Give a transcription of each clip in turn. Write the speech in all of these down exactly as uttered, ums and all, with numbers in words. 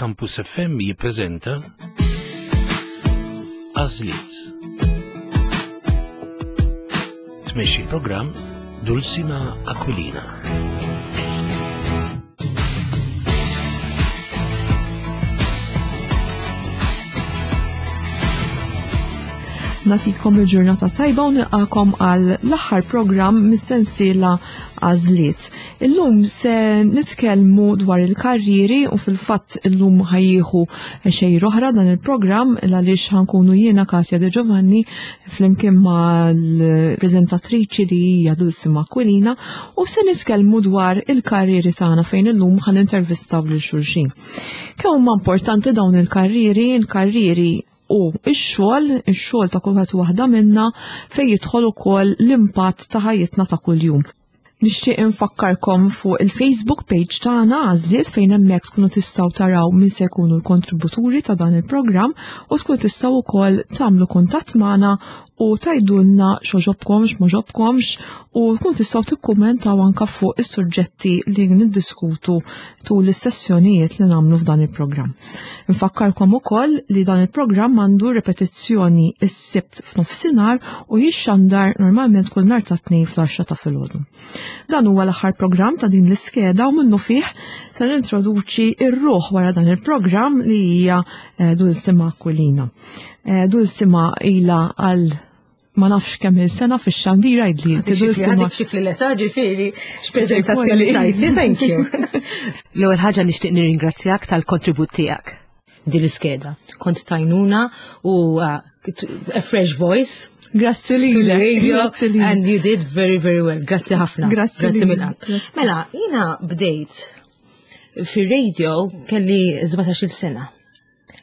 Campus F M jippreżenta Għażliet. Tmexxi l-programm Dulcima Aquilina. Nagħtikom il-ġurnata tajba u nilqakom għal l-aħħar programm mis-sensiela Għażliet. Illum se nitkellmu dwar il-karrieri u fil-fatt illum ħa jieħu xejra oħra dan il-programm, għaliex ħa nkunu jiena, Katja De Giovanni, flimkien ma' l-preżentatriċi li hija Dulcima Aquilina, u se nitkellmu dwar il-karrieri tagħna, fejn illum ħa nintervistaw lil xulxin. Kemm huma importanti dawn il-karrieri, il-karrieri u ix-xogħol, ix-xogħol ta' kulħadd waħda minna, fejn jidħol ukoll l-impatt ta' ħajjitna ta' kuljum. Nixtieq infakkarkom fuq il-Facebook page tagħna Għażliet, fejn hemmhekk tkunu tistgħu taraw min se jkunu l-kontributuri ta' dan il-programm u tkunu tistgħu wkoll tagħmlu kuntatt magħna u tgħidulna x'għoġobkom, x'm'għoġobkomx, u tkunu tistgħu tikkummentaw anke fuq is-suġġetti li niddiskutu tul is-sessjonijiet li nagħmlu f'dan il-programm. Nfakkarkom ukoll li dan il-programm għandu repetizzjoni is-Sibt f'nofsinhar u jixxandar normalment kull nhar ta' Tnejn fl-għaxra ta' filgħodu. Dan huwa l-aħħar programm ta' din l-iskeda u minnu fih se nintroduċi ir-ruħ wara dan il-programm, li hija eh, Dulcima Aquilina. Eh, Dulcima ilha għal ma nafx kemm il-sena fix-xandira, għidli. Għadik xifli l-età, ġifieri, x'preżentazzjoni tajtni, thank you. L-ewwel ħaġa, nixtieq nirringrazzjak tal-kontribut tiegħek din l-iskeda. Kont t'għajnuna u uh, a fresh voice Grazzi to the lilek. radio Grazzi lilek. and you did very, very well. Grazzi ħafna. Grazzi Grazzi lilek. mill-qalb. Grazzi. Mela, jiena bdejt fir-radio kelli sbatax-il sena.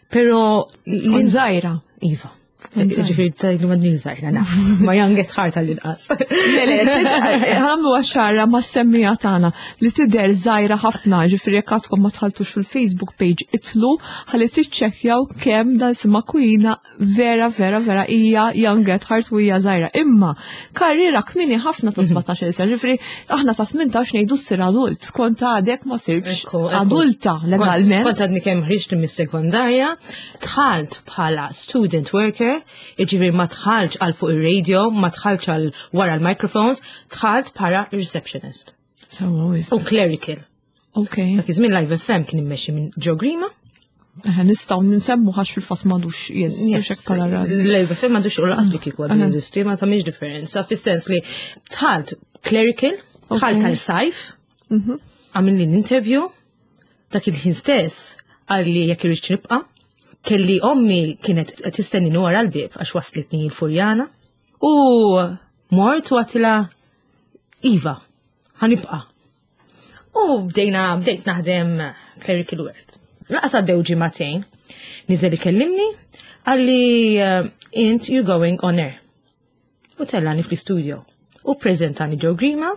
Pero Kont żgħira. Iva. Kont żgħira. Ġifieri tajlu madni żgħira, naf. Ma young at heart għall-inqas. Ħa nagħmlu ċara mas-semmiegħa tagħna li tidher żgħira ħafna, ġifieri jekk għadkom ma dħaltux fil-Facebook page, idħlu ħalli tiċċekkjaw kemm Dulcima Aquilina vera vera vera hija young at heart u hija żgħira. Imma karriera kmieni ħafna ta' sbatax-il sena, ġifieri aħna ta' tmintax ngħidu ssir adult, kont għadek ma sirtx Ekku, ekku. adulta legalment. Kont għadni kemm ħriġt mis-sekondarja, dħalt bħala student worker, jiġifieri ma dħaltx għal fuq ir-radio, ma dħaltx għal wara l-microphones, dħalt bħala receptionist. Sewwa wisq. U clerical. Ok. Dak iż-żmien Live F M kien immexxi minn Joe Grima. Eħe, nistgħu nsemmu għax fil-fatt m'għadux jeżisti xek bħala radio. Live F M m'għadux, u lanqas li kieku għadu Aha. jeżisti, ma tagħmilx differenza, fis-sens li dħalt clerical, dħalt Ok. tal-sajf, Mhm. għamilli l-interview, dak il-ħin stess qalli jekk irridx nibqa'. Kelli ommi kienet tistennini wara l-bib għax waslitni l-Furjana. U mort u għedtilha, "Iva, ħa nibqa'." U bdejna, bdejt naħdem clerical work. Lanqas għaddew ġimagħtejn, niżel ikellimni, qalli eh, "Int, you're going on air." U tellani fl-studio. U prezentani Joe Grima,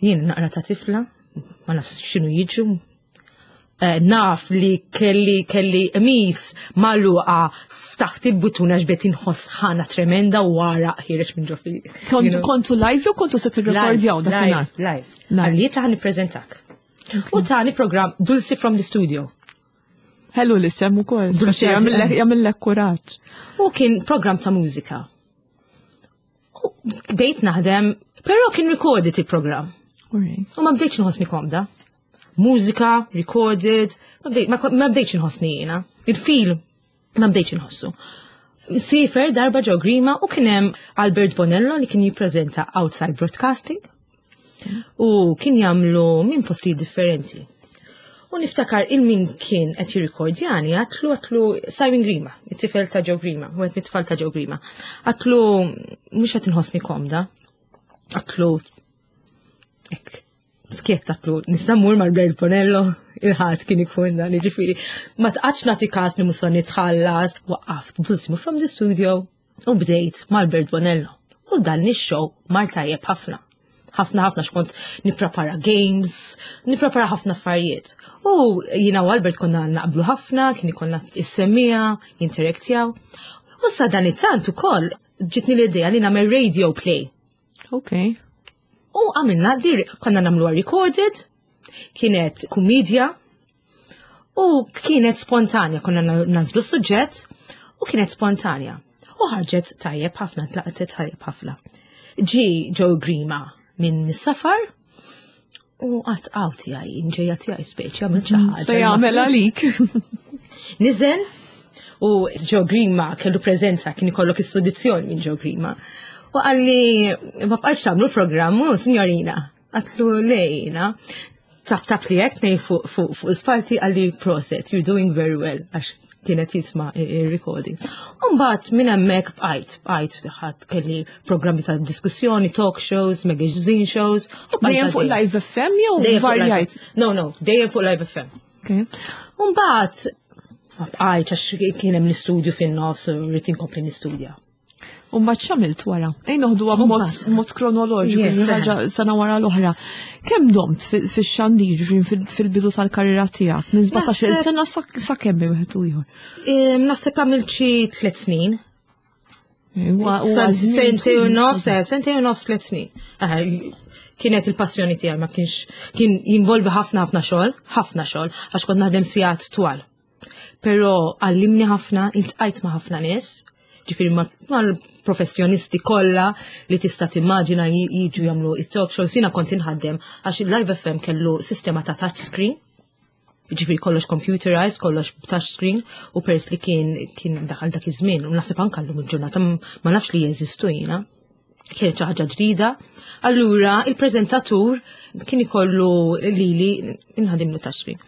jien naqra ta' tifla, ma nafx x'inhu jiġu. Eh, naf li kelli kelli qmis magħluqa, ftaħt il-buttuna ġbet, inħoss ħana tremenda u għaraq ħiereġ minn ġo fi. Kontu kontu live jew kontu se tirrekordjaw dakinhar? Live, live. Live. Qalli ta' nippreżentak. U tani program Dulcie from the Studio. Ħelu l-isem ukoll. Dulce. Jagħmillek jagħmillek kuraġġ. U kien program ta' mużika. U bdejt naħdem, però kien recorded il-program. Alright. U ma bdejtx nħossni komda. Mużika, recorded, ma bdejt- ma ma bdejtx nħossni jiena. Il-feel ma bdejtx nħossu. Siefer darba Joe Grima u kien hemm Albert Bonello li kien jippreżenta Outside Broadcasting u kien jagħmlu minn postijiet differenti. U niftakar il-min kien qed jirrikordjani, għedtlu għedtlu Simon Grima, it-tifel ta' Joe Grima, u għed mit-tfal ta' Joe Grima. Għedtlu, "Mhux qed inħossni komda." Għedtlu, ek, skiet, għedtlu, "Nista' mmur mal-Bert Bonello?" Il-Ħadd kien ikun dan, ġifieri. Ma tqax nagħti kas li musa nitħallas, waqqaft Dulcima from the Studio u bdejt mal-Bert Bonello. U dan ix-show mar tajjeb ħafna. Ħafna ħafna, xkont nipprepara games, nipprepara ħafna affarijiet. U jiena u Albert konna naqblu ħafna, kien ikollna is-semmiegħa, jinteraktjaw. U sa dan it-tant ukoll ġitni l-idea li nagħmel radio play. Ok. U għamilna, dir, konna nagħmluha recorded, kienet kumedja. U kienet spontanja, konna nagħżlu suġġett u kienet spontanja. U ħarġet tajjeb ħafna, tlaqtet tajjeb ħafna. Ġi Joe Grima minn safar u għat għaw tiegħi, ġejja tiegħi speċi, għamil xi ħaġa. Se jagħmel għalik. Niżel u Joe Grima kellu preżenza, kien ikollok is-sodizjon minn Joe Grima. U qalli, ma bqajtx tagħmlu programm, u signorina. Għedtlu lejna. Tap tap li jek, nej fuq fuq fuq spalti qalli prosit, you're doing very well, għax kienet jisma' il-recording. Umbagħad minn hemmhekk bqajt, bqajt ħadd kelli programmi ta' diskussjoni, talk shows, magazine shows. u bqajt Dejjem fuq għaddejja. Live F M jew Dejjem fuq Live varjajt? No, no, dejjem fuq Live F M. Okay. Umbagħad ma bqajt għax kien hemm l-istudju fin-nofs u rrid inkompli nistudja. U mbagħad x'għamilt wara? Ejn noħduha b'mod Mbagħad. mod kronoloġiku, Yes, ħaġa sena wara l-oħra. Kemm domt fi- fix-xandir, ġifieri fil- fil-bidu tal-karriera tiegħek? Minn sbatax-il Naħseb- sena sa sa kemm bejn wieħed u ieħor? Em, Naħseb għamilt xi tliet snin. Huwa- huwa Sa- żmien Sentejn u twil. nofs, eh, sentejn u nofs, tliet snin. Eh, Kienet il-passjoni tiegħi, ma kienx kien jinvolvi ħafna ħafna xogħol, ħafna xogħol, għax kont naħdem sigħat twal. Però għallimni ħafna, iltqajt ma' ħafna nies, ġifieri ma' mal-professjonisti kollha li tista' timmaġina ji- jiġu jagħmlu it-talk shows, jiena kont inħaddem għax il-Live F M kellu sistema ta' touch screen, ġifieri kollox computerized, kollox touch screen, u pers li kien kien daħal dak iż-żmien, u naħseb anke llum il-ġurnata ma nafx li jeżistu jiena. Kienet xi ħaġa ġdida. Allura il-preżentatur kien ikollu lili inħadimlu touch screen.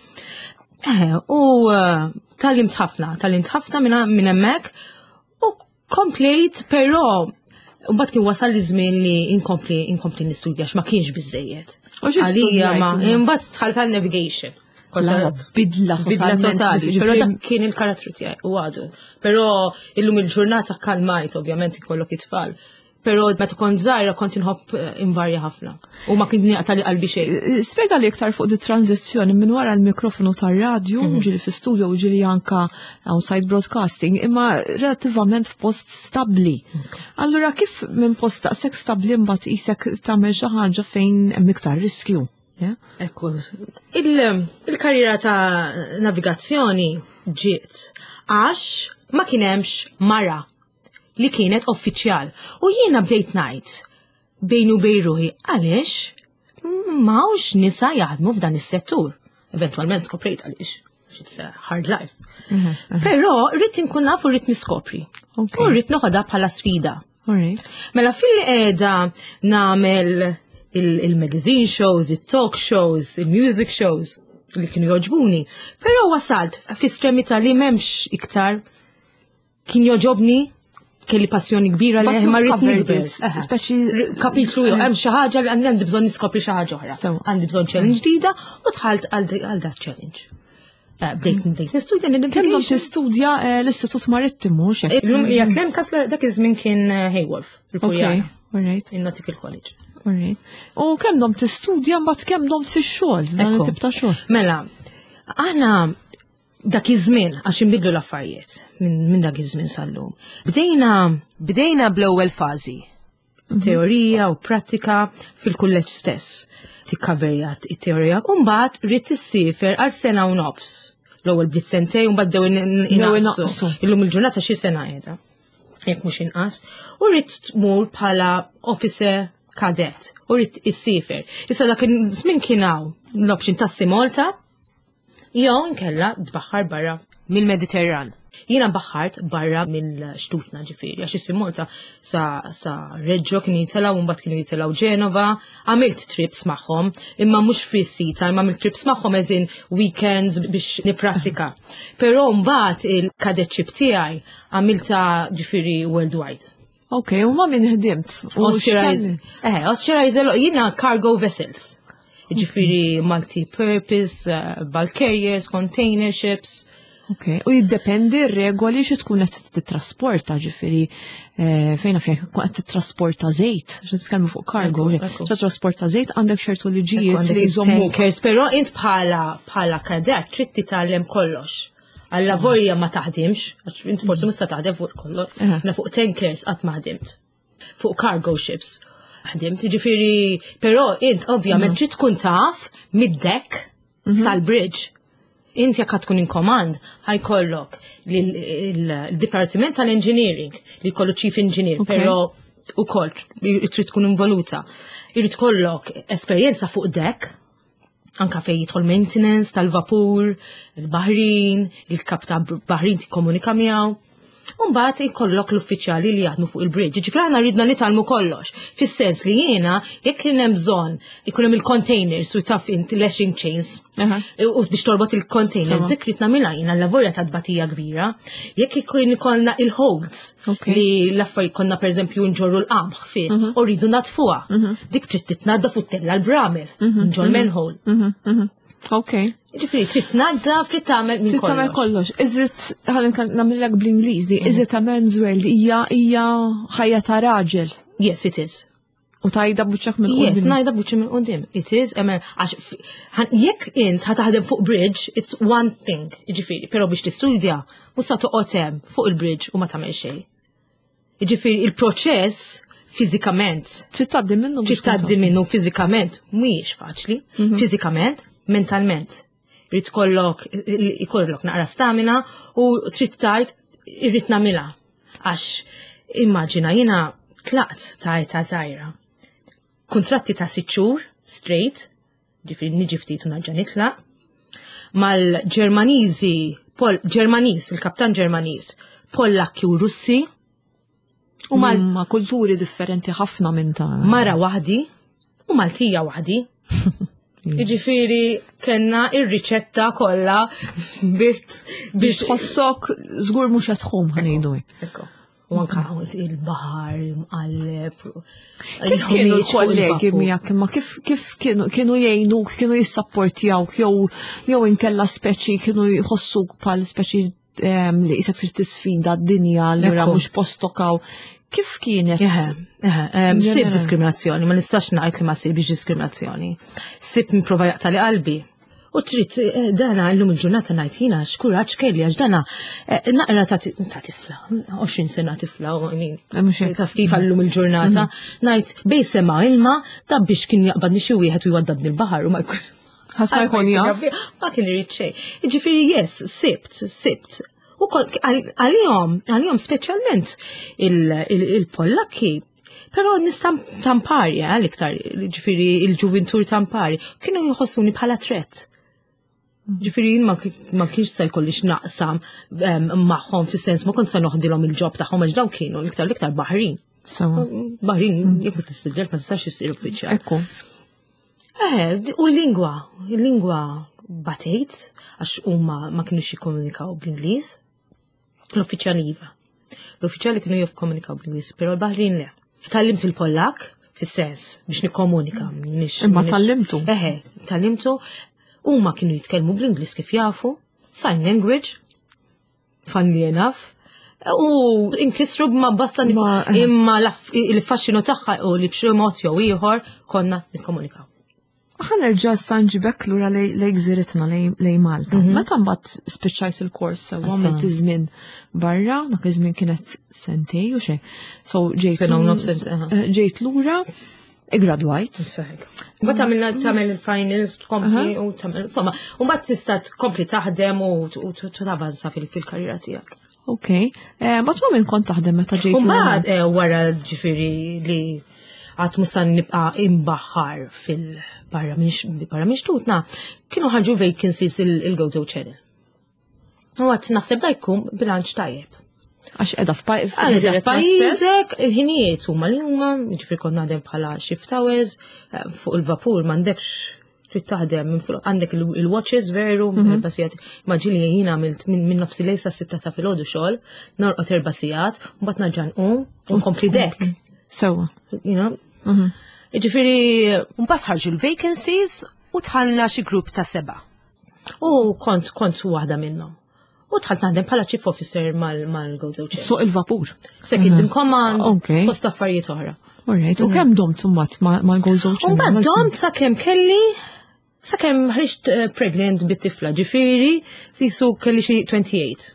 Eh, u eh, tgħallimt ħafna, tgħallimt ħafna minn minn hemmhekk u komplejt, però mbagħad kien wasal li żmien li inkompli inkompli nistudja għax ma kienx biżejjed. U xi Għalija ma studjajt? Imbagħad dħalt għal navigation. Kont La, bidla bidla totalment. Totali, Ġifieri- però dak kien il-karattru tiegħi u għadu. Però illum il-ġurnata kalmajt, ovvjament ikollok it-tfal. Però meta kont żgħira kont inħobb eh, invarja ħafna. U ma kien naqta' li qalbi xejn. Spiega li iktar fuq di tranzizzjoni minn wara l-mikrofonu tar-radju, Mhm. ġieli fi studio u ġieli anka outside broadcasting, imma relativament f'post stabli. Allura kif minn post daqshekk stabli mbagħad isek tagħmel xi ħaġa fejn hemm iktar riskju? Yeah? Ekku, il- il-karriera ta' navigazzjoni ġiet għax ma kien hemmx mara li kienet uffiċjal. U jiena bdejt ngħid bejni u bejn ruħi għaliex m'hawnx nisa jaħdmu f'dan is-settur. Eventualment skoprejt għaliex. It's a hard life. Però rrid inkun naf u rrid niskopri. Okay. U rrid noħodha bħala sfida. All right. Mela fil-qeda nagħmel il-magazine shows, il-talk shows, il-music shows li kienu joġbuni. Però wasalt fi estremità li m'hemmx iktar kien joġobni, kelli passjoni kbira li But ma you've rrid covered nikber. it, speċi- Kapitlu jew hemm xi ħaġa li għandi għandi bżonn niskopri xi ħaġa oħra. So. Għandi bżonn challenge ġdida u dħalt għal dat challenge. Eh, Bdejt bdejt nistudja Kemm domt navigation. tistudja eh, l-Istitut Marittimu xek? Illum hija l-MCAST, dak iż-żmien kien eh, Heyworth, Okay, il-Furjana, all right, in-Nautical College. All right. U kemm domt tistudja mbagħad kemm domt fix-xogħol, dan Ekku. it-tip ta' xogħol? Mela, aħna dak iż-żmien għax inbidlu l-affarijiet minn min dak iż-żmien sal-lum. Bdejna Bdejna bl-ewwel fażi. Teorija u prattika fil-kulleġġ stess. Tikkaverja it-teorija u mbagħad ridt issiefer għal sena u nofs. L-ewwel bdiet sentejn u mbagħad bdew Bdew inaqqsu. inaqqsu. Illum il-ġurnata xi sena qiegħda. Jekk mhux inqas. U rrid tmur bħala officer cadet u rrid issiefer. Issa dak iż-żmien kien hawn l-option ta' Sea Malta jew nkella tbaħħar barra mill-Mediterran. Jiena baħħart barra mill-xtutna ġifieri, għax is Malta sa, sa Reggio kienu jitilgħu, mbagħad kienu jitilgħu Ġenova, għamilt trips magħhom, imma mhux fi sita, imma għamilt trips magħhom as in weekends biex niprattika. Però mbagħad il-cadetship tiegħi għamilta ġifieri worldwide. Ok, u ma' min ħdimt? U Oscarize, x'tan- eh, Oscarize, jiena cargo vessels. Ġifieri multi-purpose, uh, bulk carriers, container ships. Ok, u jiddependi r-regoli xi tkun qed titrasporta, ġifieri eh, fejn fejn tkun qed titrasporta żejt, xi titkellmu fuq cargo, Ekku, ekku. xi trasporta żejt għandek ċertu liġijiet Għandek li jżommuk. tankers, però int bħala bħala kadett trid titgħallem kollox. Alla volja ma taħdimx, għax int forsi mhux se taħdem fuq kollox, Aha. na fuq tankers qatt ma ħdimt. Fuq cargo ships ħdimt, ġifieri, però int ovvjament trid tkun taf mid-deck sal-bridge. Inti jekk tkun in command, ħa jkollok il-Dipartiment tal-Engineering li jkollu Chief Engineer, Okay. però ukoll trid tkun involuta. Irid kollok esperjenza fuq deck, anka fej jidħol maintenance tal-vapur, il-baħrin, il-kap ta' baħrin tikkomunika miegħu. Umbagħad ikollok l-uffiċjali li jaħdmu fuq il-bridge. Ġifieri aħna ridna nitgħallmu kollox. Fis-sens li jiena jekk kien hemm bżonn ikun hemm il-containers u taf int lashing chains Aha. u biex torbot il-containers, Sewa. dik rid nagħmilha jiena l-lavorja ta' tbatija kbira. Jekk ikun ikollna il-holds Ok. li l-affarijiet konna pereżempju nġorru l-qamħ fih u rridu nadfuha. Dik trid titnaddaf u ttella' l-bramel, ġol manhole. Mhm, mhm. Ok. Ġifieri trid tnaddaf, trid tagħmel minn Trid tagħmel kollox. kollox. Is it, ħalli nagħmellek bl-Ingliż di, is it a man's world? Hija hija ħajja ta' raġel. Yes, it is. U tgħidha b'wiċċek minn Yes, quddiem. ngħidha b'wiċċi minn quddiem. It is, I mean, għax f- ħan- jekk int ħa taħdem fuq bridge, it's one thing, ġifieri, però biex tistudja, mhux sa toqgħod hemm fuq il-bridge u ma tagħmel xejn. Ġifieri il-proċess fiżikament Trid tgħaddi minnu biex trid tgħaddi minnu fiżikament mhijiex faċli, fiżikament, mentalment. Irid kollok ikollok naqra stamina u trid tgħid irrid nagħmilha. Għax immaġina jiena tlaqt ta' età żgħira. Kuntratti ta' sitt xhur straight, ġifieri niġi ftit u nerġa' nitlaq. Mal-Ġermaniżi, Pol Ġermaniż, il-kaptan Ġermaniż, Pollakki u Russi, u mal Ma kulturi differenti ħafna minn ta' mara waħdi u Maltija waħdi. Jiġifieri kellna ir-riċetta kollha biex biex tħossok żgur mhux qed tħum ħa ngħidu. Ekko. U anka il-baħar, mqalleb. Kif kienu l-kollegi miegħek imma kif kif kienu kienu jgħinuk, kienu jissapportjawk jew jew inkella speċi kienu jħossuk bħal speċi em, li qisek trid tisfida d-dinja allura Ekku. mhux postok hawn. Kif kienet? Eħe, eħe, em, Sib Ġenerali. diskriminazzjoni, ma nistax ngħid li ma sibx diskriminazzjoni. Sib nipprova jaqtagħli qalbi. U trid eh, dana llum il-ġurnata ngħid jiena x'kuraġġ kelli għax dana eh, naqra ta' ti- ta' tifla, għoxrin sena tifla, u I mean, Eh, mhux hekk. taf kif għallum il-ġurnata, ngħid bej sema ilma ta' biex kien jaqbadni xi wieħed u jwaddabni l-baħar u ma jkun. Ħadd ma jkun jaf. Ma kien irid xejn. Ġifieri yes, sibt, sibt. U kol- għal- għalihom, għalihom speċjalment il- il- il-Pollakki, però nies tampari, eh, l-iktar, ġifieri il-ġuvintur tampari, kienu jħossuni bħala threat. Ġifieri jien ma ki- ma kienx se jkolli x'naqsam em, magħhom fis-sens ma kont se noħdilhom il-job tagħhom għax dawn kienu l-iktar l-iktar baħrin. Sewa. Baħrin, jekk ma tistudjax ma tistax issir uffiċjal. Ekku. Eh, u l-lingwa, il-lingwa batejt, għax huma ma kienux jikkomunikaw bl-Ingliż. L-uffiċjali iva. L-uffiċjali kienu jikkomunikaw bl-Ingliż, però l-baħrin le. Tgħallimt il-Pollak, fis-sens, biex nikkomunika. minix- Imma minix- tgħallimtu? Eħe, tgħallimtu. Huma kienu jitkellmu bl-Ingliż kif jafu, sign language, funnily enough. U inkisru ma basta nik- Ma- eh. imma l-aff- il-faxxinu tagħha u li b'xi mod jew ieħor konna nikkomunikaw. Ħa nerġa' sa nġibek lura lej lej gżiritna lej lej Malta. Meta mbagħad spiċċajt il-kors sewa għamilt iż-żmien barra, dak iż-żmien kienet sentej u xejn. So ġejt Sena u nofs sent, aha. eh, ġejt lura, igradwajt. Mbagħad tagħmel tagħmel il-finals tkompli u tagħmel insomma, u mbagħad tista' tkompli taħdem u u tavanza fil-karriera tiegħek. Ok. Eh, Mbagħad ma minn kont taħdem meta ġejt U lura? mbagħad eh, wara ġifieri li għad musan nibqa' imbaħħar fil-barra minn barra minn xtutna, kienu ħarġu vacancies il-Gozo Channel. U għedt naħseb da jkun bilanċ tajjeb. Għax qiegħda Għalija f'pajjiżek. f'pajjiżek, il-ħinijiet huma li huma, ġifieri kont naħdem bħala shift hours, eh, fuq il-vapur m'għandekx trid taħdem minn fuq għandek il- il-watches veru, erba' sigħat. Immaġini jiena għamilt minn minn nofs il-lejl sa sitta ta' filgħodu xogħol, norqod erba' sigħat, u mbagħad nerġa' nqum u nkompli deck. Sewa. You know? Ġifieri Mbagħad ħarġu l-vacancies u dħalna xi grupp ta' seba'. u kont kont waħda minnhom. U dħalt naħdem bħala chief officer mal mal-Gozo Channel. Suq il-vapur. Second in command, Ok. post affarijiet oħra. Alright, u kemm domt mbagħad mal-Gozo U Channel? mbagħad domt sakemm kelli sakemm ħriġt eh, pregnant bit-tifla, ġifieri sisu kelli xi twenty-eight.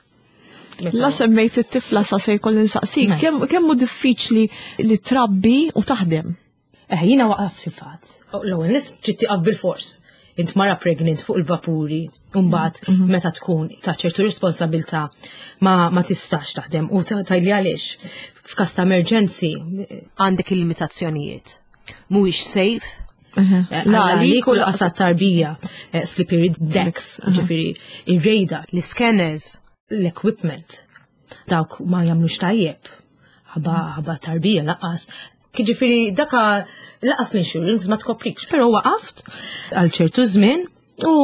Meta- La semmejt it-tifla sa se jkolli nsaqsik, Nice. kemm kemm hu diffiċli li trabbi u taħdem? Eh, jiena waqaft fil-fatt. L-ewwel nies trid tieqaf bil-fors. int mara pregnant fuq il-vapuri, mbagħad mm -hmm. meta tkun ta' ċertu responsabilità ma, ma tistax taħdem u tgħidli għaliex. F'każ ta' emergency għandek il-limitazzjonijiet. Mhuwiex safe. Eh, la li kull qasat tarbija, eh, slippery decks, ġifieri ir-radar, l-scanners, l-equipment. Dawk ma jagħmlux tajjeb. Ħabba ħabba tarbija lanqas. Ġifieri daka lanqas l-insurance ma tkoprikx, però waqaft għal ċertu żmien u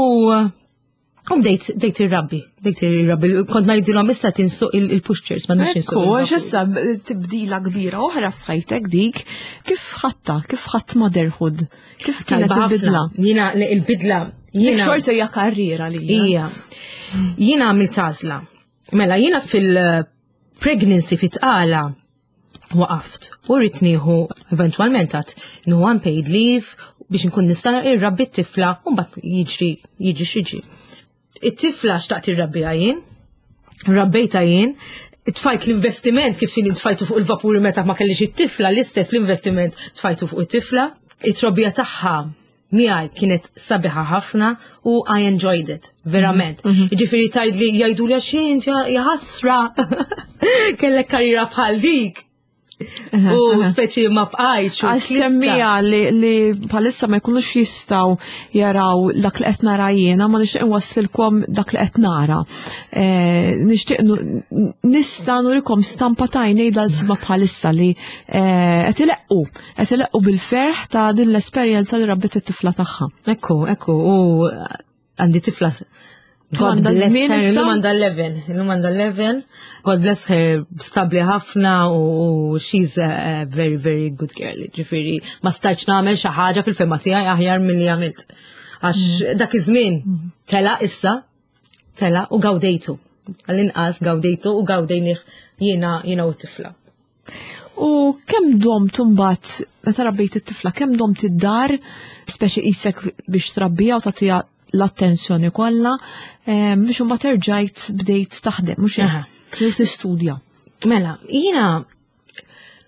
U bdejt bdejt irrabbi, bdejt irrabbi, kont ngħidilhom issa tinsuq il-pushchairs, ma nafx insuq. Ekku, issa tibdila kbira oħra f'ħajtek dik, kif ħatta, kif ħadd motherhood, kif kienet il-bidla? Jiena il-bidla, jiena. Xorta hija karriera li. Ija. Jiena għamilt għażla. Mela jiena fil-pregnancy fit-tqala waqaft u rrid nieħu eventwalment għat nieħu unpaid leave biex nkun nista' irrabbi t-tifla u mbagħad jiġri jiġi x'jiġri. It-tifla xtaqt irrabbiha jien, rabbejta jien, tfajt l-investiment kif jien tfajtu fuq il-vapuri meta ma kellix it-tifla, l-istess l-investiment tfajtu fuq it-tifla. It-trobbija tagħha miegħi kienet sabiħa ħafna u I enjoyed it, verament. Mm -hmm. Ġifieri tgħidli jgħidu li għax ja ħasra kellek karriera bħal dik. U speċi ma bqajtx. Għas-semmija li, li bħalissa ma jkunux jistgħu jaraw dak li qed nara jiena, ma nixtieq nwasslilkom dak li qed nara. Eh, nixtieq nista' nurikom stampa t'għajnejn dal-sma bħalissa li eh, qed ileqqu, qed ileqqu bil-ferħ ta' din l-esperjenza li rabbit it-tifla tagħha. Ekku, ekku, u għandi tifla God bless her, illum għandha eleven, illum għandha eleven. God bless her, stabli ħafna u she's a very, very good girl. Ġifieri, ma stajtx nagħmel xi ħaġa fil-fehma tiegħi aħjar milli għamilt. Għax mm. dak iż-żmien tela issa, tela u gawdejtu. Għall-inqas gawdejtu u gawdejnih jiena jiena u t-tifla. U kemm domt mbagħad meta rabbejt it-tifla, kemm domt id-dar, speċi qisek biex trabbija u tagħtiha l-attenzjoni kollha, biex imbagħad erġajt bdejt taħdem, mhux hekk, jew tistudja. Mela, jiena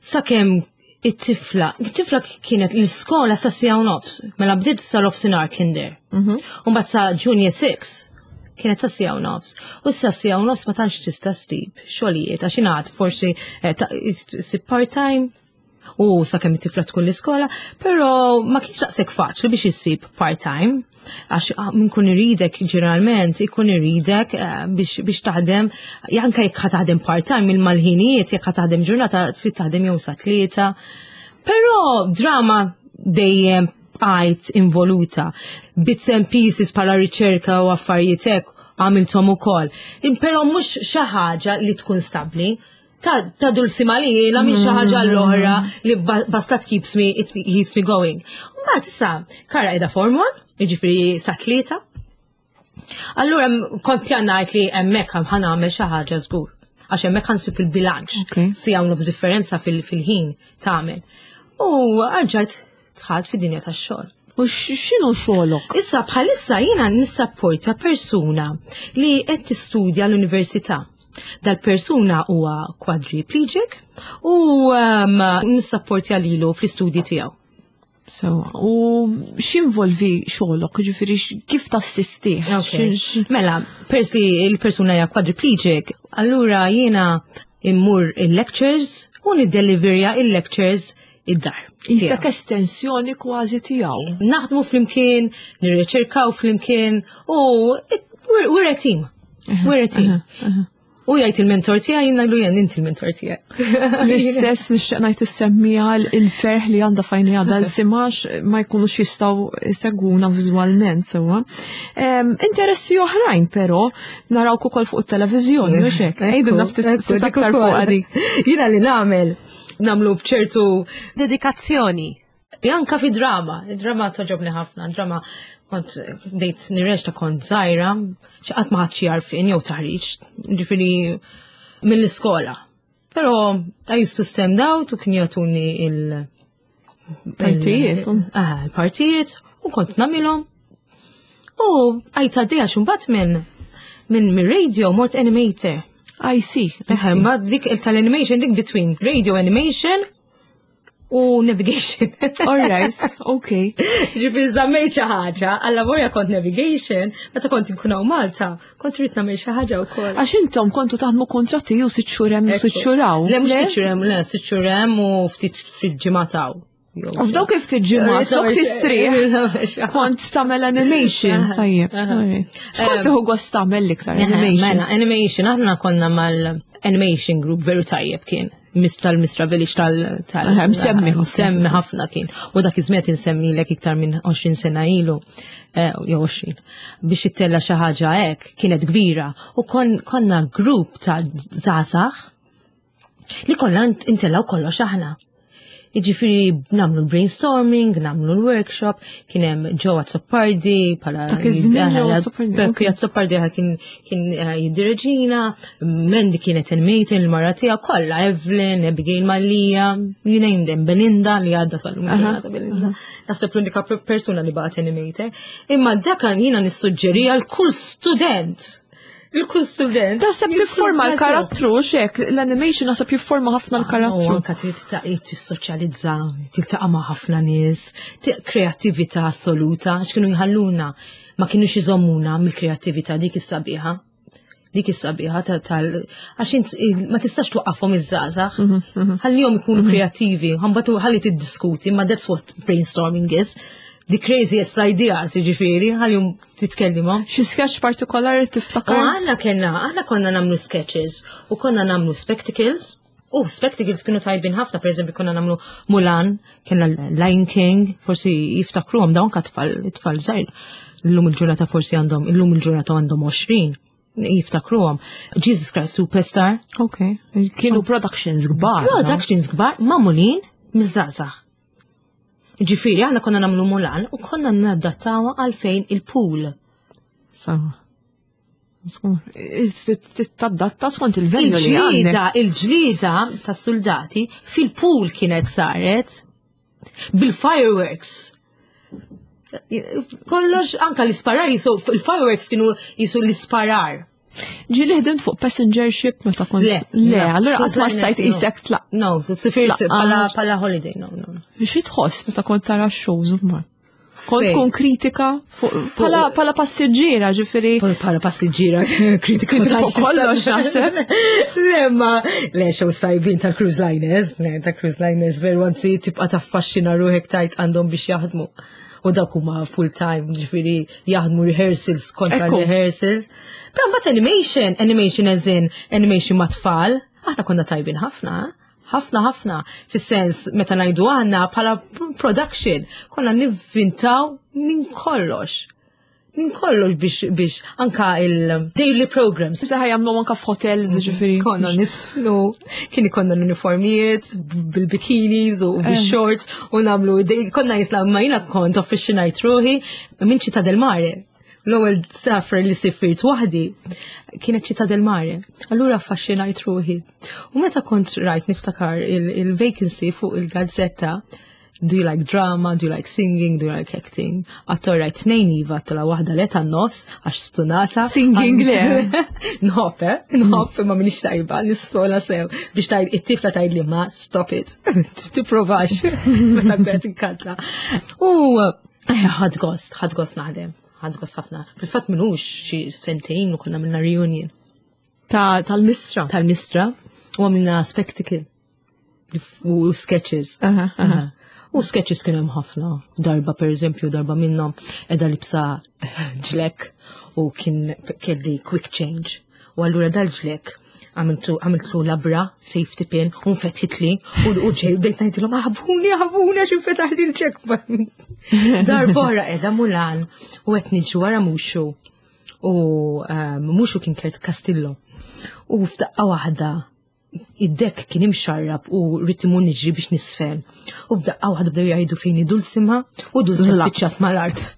sakemm it-tifla, it-tifla kienet l-iskola sa siegħa u nofs, mela bdiet sa nofsinhar kinder. Mhm. U mbagħad sa junior six kienet sa siegħa u nofs. U sa siegħa u nofs ma tantx tista' ssib xogħlijiet għax ingħad forsi eh, ssib part-time u sakemm it-tifla tkun l-iskola, però ma kienx daqshekk faċli biex issib part-time għax ah, min kun iridek ġeneralment ikun iridek eh, biex, biex taħdem anke jekk ħa taħdem part-time il-malħinijiet jekk ħa taħdem ġurnata trid taħdem jew sa tlieta. Però drama dejjem bqajt involuta. Bits and pieces bħala riċerka u affarijiet hekk għamilthom ukoll. Però mhux xi ħaġa li tkun stabbli. Ta', ta' dulsima li jiena minn xi ħaġa l-oħra li basta keeps me, it keeps me going. Mbagħad issa Kara qiegħda form one, jiġifieri sa tlieta. Allura kont pjanajt li hemmhekk ħa nagħmel xi ħaġa żgur. Għax hemmhekk ħa nsib il-bilanċ. Siegħa u nofs differenza fil-ħin tagħmel. U rġajt dħalt fid-dinja tax-xogħol. U x'inhu xogħolok? Issa bħalissa jiena nissapporta persuna li qed tistudja l-università. Dal-persuna huwa quadriplegic u um, nissapportja lilu fl-istudji tiegħu. So, u x'involvi xogħolok, ġifieri kif tassisti? Okay. Mela, peress li il-persuna hija quadriplegic, allura jiena immur il-lectures u niddeliverja il-lectures id-dar. Qisek estensjoni kważi tiegħu. Naħdmu flimkien, nirriċerkaw flimkien u we're a team. We're a team. U jgħid il-mentor tiegħi, jien ngħidlu jien inti il-mentor tiegħi. L-istess nixtieq ngħid issemmija il-ferħ li għandha fejn għadha l-simax ma jkunux jistgħu segwuna viżwalment sewwa. Interessi oħrajn però narawk ukoll fuq it-televiżjoni, mhux hekk? Għidilna ftit aktar fuq dik. Jiena li nagħmel nagħmlu b'ċertu dedikazzjoni. Anka fi drama, drama togħġobni ħafna, drama kont bdejt nirreċta kont żgħira, xi qatt ma ħadt xi għarfien jew taħriġ, ġifieri mill-iskola. Però I used to stand out u kien jagħtuni il- Partijiet. Ah, il-partijiet u kont nagħmilhom. U għajt għaddejja mbagħad minn minn minn radio mort animator. I see. Ma dik tal-animation dik between radio animation U navigation. All right, okay. Ġifieri żammejt xi ħaġa, alla volja kont navigation, meta kont inkun hawn Malta, kont rrid nagħmel xi ħaġa wkoll. Għax intom kontu taħdmu kontratti ju sitt xhur hemm u sitt xhur hawn. Le, mhux sitt xhur hemm, le, sitt xhur hemm u ftit ftit ġimgħat hawn. U f'dawk kif tiġġimgħat, flok tistrieħ, kont tagħmel animation, tajjeb. X'kont tieħu gost tagħmel l-iktar animation? Mela, animation, aħna konna mal-animation group veru tajjeb kien. Tal-Mistra Village tal... tal- Msemmi ħafna. Msemmi ħafna kien. U dak iż-żmien insemmi lek iktar minn għoxrin sena ilu, eh, jew għoxrin, biex ittella xi ħaġa hekk kienet kbira. U konna grupp ta' żgħażagħ li konna intellaw kollox aħna. Jiġifieri nagħmlu l-brainstorming, nagħmlu l-workshop, kien hemm Joe Azzopardi, pala. Dak iż-żmien Joe Azzopardi, Peppi Azzopardi kien kien eh, jiddireġina, Mandy kienet animator, il-mara tiegħu kollha, Evelyn, Abigail Mallia, you name them, Belinda li għadda sal-lum ġurnata Belinda. Naħseb l-unika persuna li baqgħet animator. Imma dak jiena nissuġġeri għal kull student. Il-kull student. Naħseb tifforma l-karattru, xek, l-animation naħseb jifforma ħafna l-karattru. Anka tissoċjalizza, tiltaqa' ma' ħafna nies, kreattività assoluta, x'kienu jħalluna, ma kienux iżommuna mill-kreattività dik is-sabiħa. Dik is-sabiħa tal għax int ma tistax twaqqafhom iż-żgħażagħ. Mhm, mhm. Ħallihom ikunu mhm. kreattivi, ħambatu ħalli tiddiskuti, ma that's what brainstorming is, the craziest ideas, ġifieri, ħalihom titkellimhom. Xi sketch partikolari tiftakar? U aħna kellna, aħna konna nagħmlu sketches u konna nagħmlu spectacles. U spectacles kienu tajbin ħafna, per eżempju konna nagħmlu Mulan, kellna Lion King, forsi jiftakruhom dawn ka tfal, tfal żgħir. Illum il-ġurnata forsi għandhom, illum il-ġurnata għandhom għoxrin jiftakruhom. Jesus Christ Superstar. Ok. Kienu productions kbar. Productions kbar, magħmulin miż-żgħażagħ. Ġifieri, aħna konna nagħmlu Mulan u konna nadattawa għalfejn il-pool. Sama. Tadatta skont il-venue li Il-ġlieda, il-ġlieda tas soldati fil-pool kienet saret bil-fireworks. Kollox, anka l-isparar, jisu, il-fireworks kienu jisu l-isparar. Ġieli ħdimt fuq passenger ship meta kont. Le, le, allura qatt ma stajt isek tlaq. No, sifirt pala pala holiday, no, no. Xi tħoss meta kont tara shows ma? Kont tkun kritika pala pala passiġġiera, ġifieri. Pala passiġġiera, kritika fuq kollox naħseb. Le, ma le show sajbin tal-cruise liners, le tal-cruise liners veru anzi tibqa' taffaxxina ruħek tajt għandhom biex jaħdmu. U dawk huma full time, ġifieri jaħdmu rehearsals kontra rehearsals. Però mbagħad animation, animation as in animation ma' tfal, aħna konna tajbin ħafna, ħafna ħafna, fis-sens meta ngħidu aħna bħala production, konna nivvintaw minn kollox. Minn kollox biex biex anka il-daily programs. Saħ jagħmlu anka f'hotels ġifieri. Konna nisfnu, kien ikonna l-uniformijiet bil-bikinis u bil-shorts u nagħmlu, konna jisla ma jiena kont affaxxinajt ruħi minn Città del Mare. L-ewwel safar li sifirt waħdi kienet Città del Mare. Allura affaxxinajt ruħi. U meta kont rajt niftakar il-vacancy fuq il-gazzetta, do you like drama, do you like singing, do you like acting? Għattu rajt tnejn iva, tala waħda le tan-nofs, għax stunata. Singing le. Nħobb, eh? Nħobb, ma minix tajba, nissola sew. Biex tajd, it-tifla tajd li ma, stop it. Tipprovax. Meta kbert inkanta. U eh, ħadt gost, ħadt gost naħdem. Ħadt gost ħafna. Fil-fatt minux xi sentejn u konna minna reunion. Ta' tal-Mistra. Tal-Mistra. U għamilna spectacle. U sketches. Aha, aha. U sketches kien hemm ħafna. Darba per eżempju, darba minnhom qiegħda libsa ġlek u kien kelli quick change. U allura dal-ġlek għamiltu għamiltu labra, safety pin, u nfetħitli, u u ġej bdejt ngħidilhom aħbuni, aħbuni għax infetaħli l-ġlek. Darba oħra qiegħda Mulan u qed niġu wara Mushu. U um, Mushu kien Kurt Castillo. U f'daqqa waħda id-deck kien imxarrab u rrid imur niġri biex nisfen. U f'daqqa waħda bdew jgħidu fejn Dulcima u Dulcima Zlaqt. spiċċat mal-art.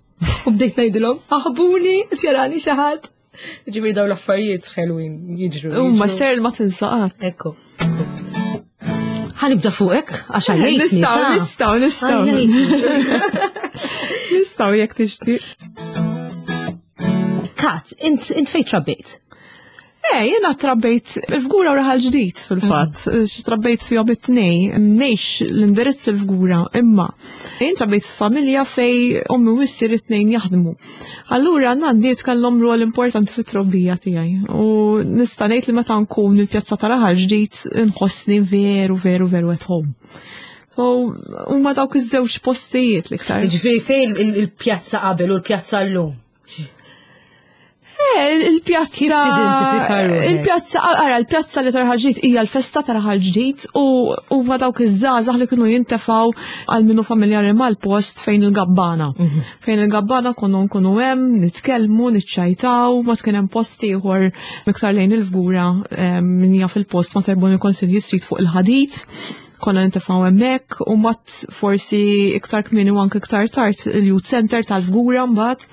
U bdejt ngħidilhom aħbuni, qed jarani xi ħadd. Ġifieri dawn l-affarijiet ħelwin jiġru. U ma jiġru. ser ma tinsaqat. Ekku. Ħa nibda fuqek, għax għajjejtni. Nistgħu, ta' nistgħu, nistgħu. Għajjejtni. Nistgħu jekk tixtieq. Kat, int int fejn trabbejt? Eh, jiena trabbejt il-Fgura u Raħal Ġdid fil-fatt, trabbejt fihom it-tnejn, ngħix l-indirizz il-Fgura, imma jien trabbejt f'familja fejn ommi u missier it-tnejn jaħdmu. Allura nanniet kellhom rol importanti fit-trobbija tiegħi. U nista' ngħid li meta nkun il-pjazza ta' Raħal Ġdid nħossni veru, veru, veru at home. So, huma dawk iż-żewġ postijiet l-iktar. Ġifieri fejn il-pjazza qabel u l-pjazza llum? Eh, il-pjazza. Kif tidentifika ruħek? Il-pjazza, ara, il-pjazza li ta' Raħal Ġdid hija l-festa ta' Raħal Ġdid u huma dawk iż-żgħażagħ li kienu jintefgħu għal minnu familjari mal-post fejn il-gabbana. Fejn il-gabbana konna nkunu hemm, nitkellmu, niċċajtaw, ma kien hemm post ieħor iktar lejn il-Fgura eh, min jaf il-post ma' Terboni Consigli Street fuq il-ħadid konna nintefgħu hemmhekk u mat forsi iktar kmieni u anke iktar tard il-youth center tal-Fgura mbagħad.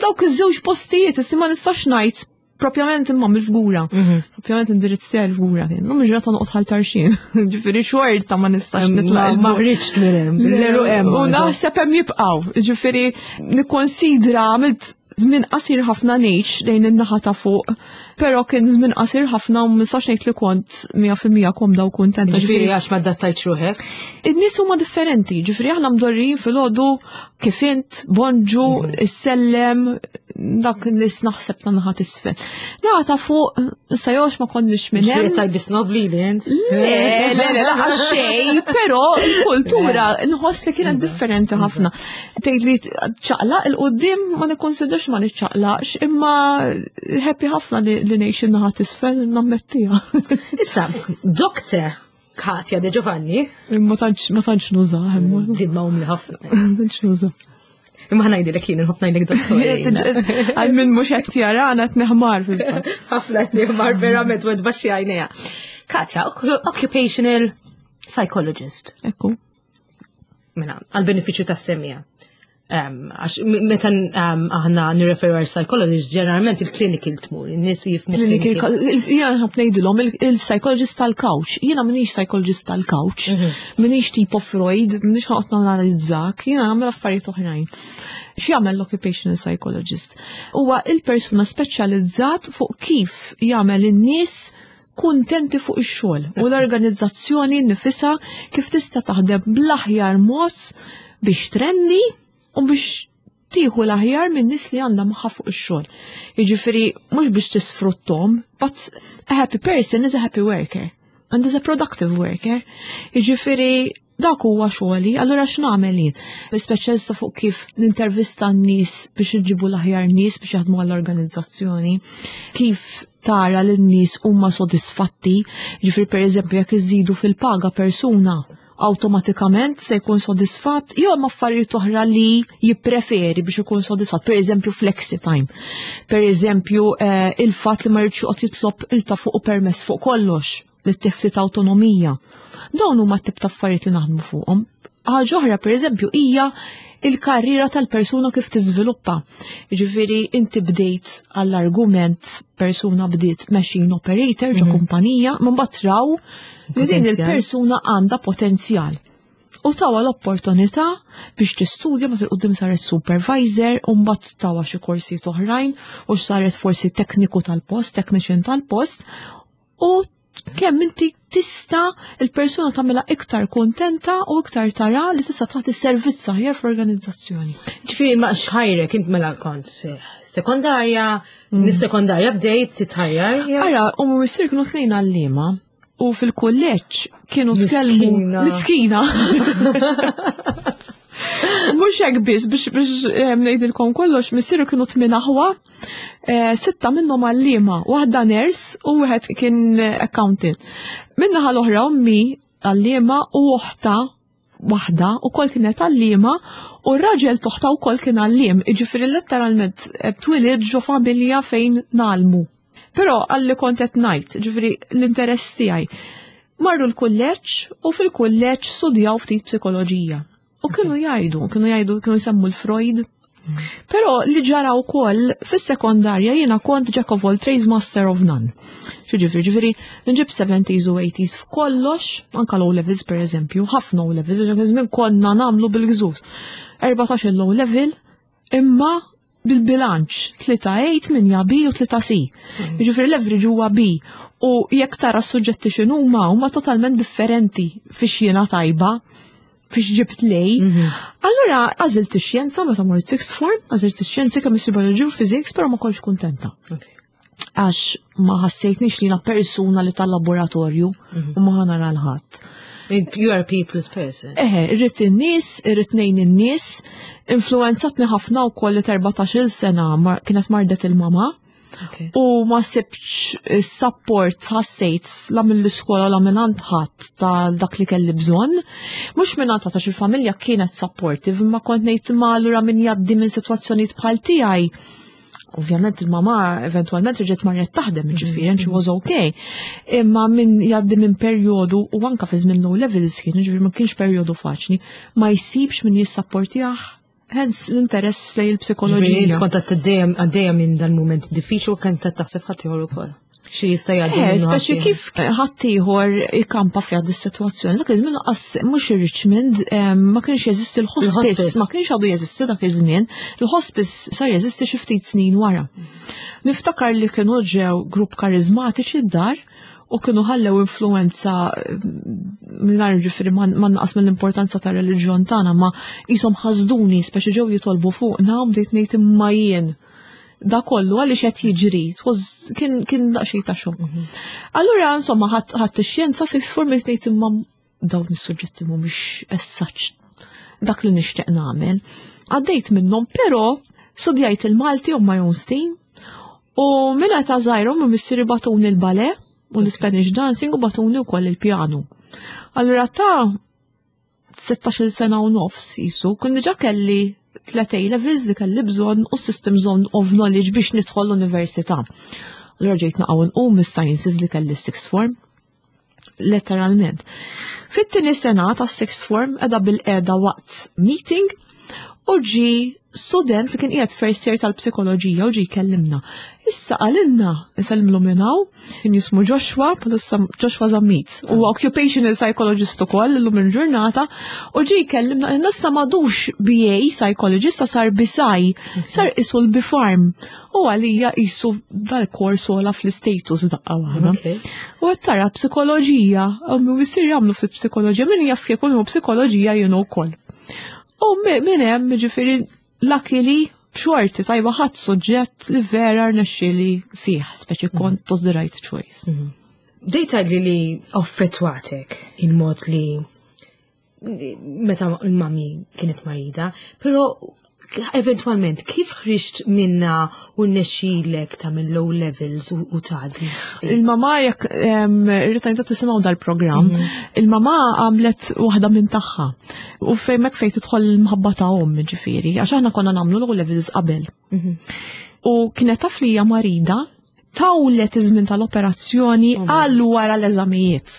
Dawk iż-żewġ postijiet, issi ma nistax ngħid propjament imma mill-Fgura. Propjament indirizz tiegħi l-Fgura kien. Illum ġrata noqgħod Ħal Tarxien. Ġifieri xorta ma nistax nitlaq. Ma rridx minn hemm. L-għeruq hemm. U naħseb hemm jibqgħu. Ġifieri nikkonsidra għamilt żmien qasir ħafna ngħix lejn in-naħa ta' fuq, però kien żmien qasir ħafna u ma nistax ngħid li kont mija fil-mija komda u kuntenta. Ġifieri għax ma adattajtx ruħek. In-nies huma differenti, ġifieri aħna mdorrijin filgħodu kif int, bonġu, issellem, dak nies naħseb ta' naħa t'isfel. Naħa ta' fuq, issa jox ma konniex minn Ġifieri hemm. tajbi snobli li int. Le, le, le, la, xej, però il-kultura nħoss li kienet differenti ħafna. Tgħid li ċaqlaq 'il quddiem ma nikkonsidrax ma niċċaqlaqx, imma happy ħafna li li ngħix in-naħa t'isfel nammettiha. Issa, Doktor Katja De Giovanni, Ma tantx ma tantx nuża, imma din ma umli ħafna. ma tantx nuża. Imma ħa ngħidilek jien nħobb ngħidlek doktor. Għal min mhux qed jarana qed neħmar fil-fatt. Ħafna timar verament u tbaxxi għajnejha. Katja, occupational psychologist. Ekku. Mela, għal benefiċċju tas-semmiegħa. Għax meta aħna nirreferu għal psychologist, ġeneralment il-clinical tmur, in-nies jifhmu Clinical, jiena nħobb ngħidilhom il-psychologist tal-couch. Jiena m'iniex psychologist tal-couch, m'iniex tipo Freud, m'iniex ħa noqgħod nanalizzak, jiena nagħmel affarijiet oħrajn. X'jagħmel l-occupational psychologist? Huwa il-persuna speċjalizzat fuq kif jagħmel in-nies kuntenti fuq ix-xogħol u l-organizzazzjoni nifisha kif tista' taħdem bl-aħjar mod biex trendi u biex tieħu l-aħjar minn nies li għandha magħha fuq ix-xogħol. Jiġifieri mhux biex tisfruttom, but a happy person is a happy worker and is a productive worker. Jiġifieri dak huwa xogħli, allura x'nagħmel jien? Speċjalista fuq kif nintervista n-nies biex nġibu l-aħjar nies biex jaħdmu għall-organizzazzjoni, kif tara li n-nies huma sodisfatti, ġifieri pereżempju jekk iżidu fil-paga persuna automatikament se jkun sodisfatt, jew hemm affarijiet oħra li jippreferi biex ikun sodisfatt, per eżempju flexi time. Per eżempju eh, il-fatt li ma rridx joqgħod jitlob il ta' fuq u permess fuq kollox li tiftit autonomija. Dawn huma t-tip ta' affarijiet li naħdmu fuqhom. Ħaġa oħra per eżempju hija il-karriera tal-persuna kif tiżviluppa. Jiġifieri inti bdejt għall-argument persuna bdiet machine operator ġo kumpanija, ma mbagħad raw li din Potenzjal. il-persuna għandha potenzjal. U tawha l-opportunità biex tistudja ma il-qudiem saret supervisor u mbagħad tawha xi korsijiet oħrajn u saret forsi tekniku tal-post, technician tal-post u kemm inti tista' il-persuna tagħmilha iktar kontenta u iktar tara li tista' tagħti servizz aħjar fl-organizzazzjoni. Ġifieri ma xħajrek int mela kont eh, sekondarja, nis-sekondarja bdejt titħajjar. Ara, u missier kienu tnejn għalliema u fil-kulleġġ kienu tkellmu Miskina. Miskina. Mhux hekk biss biex biex eh, ngħidilkom kollox, missieru kienu tmien aħwa, eh, sitta minnhom għalliema, waħda nurse u wieħed kien accountant. Min-naħa l-oħra ommi għalliema u oħta waħda u kol kienet għalliema u r-raġel t'oħtha u kol kien għalliem. Iġifieri letteralment eh, twilidt ġo familja fejn ngħallmu. Però għalli kont qed ngħid, ġifieri l-interess tiegħi. Marru l-kulleġġ u fil-kulleġġ studjaw ftit psikoloġija. U kienu jgħidu, kienu jgħidu, kienu jsemmu l-Freud. Però li ġara wkoll fis-sekondarja jiena kont jack of all trades, master of none. Ġifieri, ġifieri, nġib seventies u eighties f'kollox, anka low levels per eżempju, ħafna low levels, ġifieri żmien konna nagħmlu bil-gżuż. Erbatax il low level, imma Bil-bilanċ, tlieta A, tmienja B u tlieta C. Jiġifieri l-average huwa B. U jekk tara s-suġġetti x'inhuma, huma totalment differenti fiex jiena tajba, fiex ġibt lej. Allura għażilt ix-xjenza meta mort sixth form, għażilt ix-xjenzi, chemistry, biology u physics, però ma kontx kuntenta. Għax ma ħassejtnix li jiena persuna li tal-laboratorju u ma ħa nara 'l ħadd. You are a people's person. Eħe, irrid in-nies, irrid ngħin in-nies, influenzatni ħafna wkoll li erbatax-il sena mar- kienet mardet il-mama. Okay. U ma sibx support, ħassejt, la mill-iskola la minn għand ħadd ta' dak li kelli bżonn. Mhux minn għand għax il-familja kienet supportive, ma kont ngħid ma allura min jgħaddi minn sitwazzjonijiet bħal tiegħi. Ovvjament il-mama eventualment reġgħet marret taħdem, ġifieri, and she was okay. Imma min jgħaddi minn perjodu, u anka fi żmien O levels kien, ġifieri ma kienx perjodu faċli, ma jsibx min jissapportjah, hence l-interess lejn il-psikoloġija. Kont għaddejja għaddejja minn dal-moment diffiċli u kont taħseb ħadd ieħor ukoll. Xi jista' jgħaddi Eh, minnu speċi ħadd kif ħaddieħor ikampa fiha dis-sitwazzjoni. Dak iż-żmien lanqas mhux ir-Richmond em, ma kienx jeżisti l-hospice, Il-hospice. ma kienx għadu jeżisti dak iż-żmien. Il-hospice sar jeżisti xi ftit snin wara. Niftakar li kienu ġew grupp karizmatiċi d-dar u kienu ħallew influenza mingħajr, ġifieri, ma ma naqas mill-importanza ta' reliġjon tagħna, ma qishom ħasduni, speċi ġew jitolbu fuqna u bdejt ngħid, imma jien da kollu għaliex qed jiġri, It was- kien kien daqsxejn ta' xokk. Allura insomma ħadd ħadd ix-xjenza sixth form, ngħid imma dawn is-suġġetti mhumiex as such dak li nixtieq nagħmel. Għaddejt minnhom, però studjajt il-Malti on my own steam u minn ta' żgħira minn missieri bagħtuni l-ballet u l-Spanish dancing u bagħtuni wkoll il-pjanu. Allura ta' sittax-il sena u nofs jisu, kun diġà kelli tlet A levels li kelli bżonn u systems on of knowledge biex nidħol l-università. Allura ġejt naqgħu nqum mis-sciences li kelli sixth form. Letteralment. Fit-tieni sena ta' sixth form qiegħda bilqiegħda waqt meeting u ġi student li kien qiegħed first year tal-psikoloġija u ġi jkellimna. Issa qalilna, nsellimlu minn hawn, kien jismu Joshua, bħalissa Joshua Zammit, u occupational psychologist ukoll illum il-ġurnata, u ġi jkellimna qalilna issa m'għadux B A psychologist, sar B Psy, sar qisu l-BPharm. U għalija qisu dal-kors ola fl-status daqqa waħda. Okay. U tara psikoloġija, u missieri jagħmlu ftit psikoloġija, min jaf kieku psikoloġija jien ukoll. U minn hemm, ġifieri, luckily, b'xorti tajba ħadd suġġett li vera rnexxieli fih, speċi kont was the right choice. Bdejt li li affettwatek il-mod li meta l-mami kienet marida, pero eventualment kif ħriġt minna u rnexxielek ta' minn O levels u, u tgħaddi? Il-mama, jekk irritajn ta' tisimgħu dal-programm, il-mama għamlet waħda minn tagħha. U fejmek fejn tidħol il-mħabba ta' omm, ġifieri, għax aħna konna nagħmlu l-O levels qabel. U kienet taf li hija marida, tawlet iż-żmien tal-operazzjoni għal wara l-eżamijiet.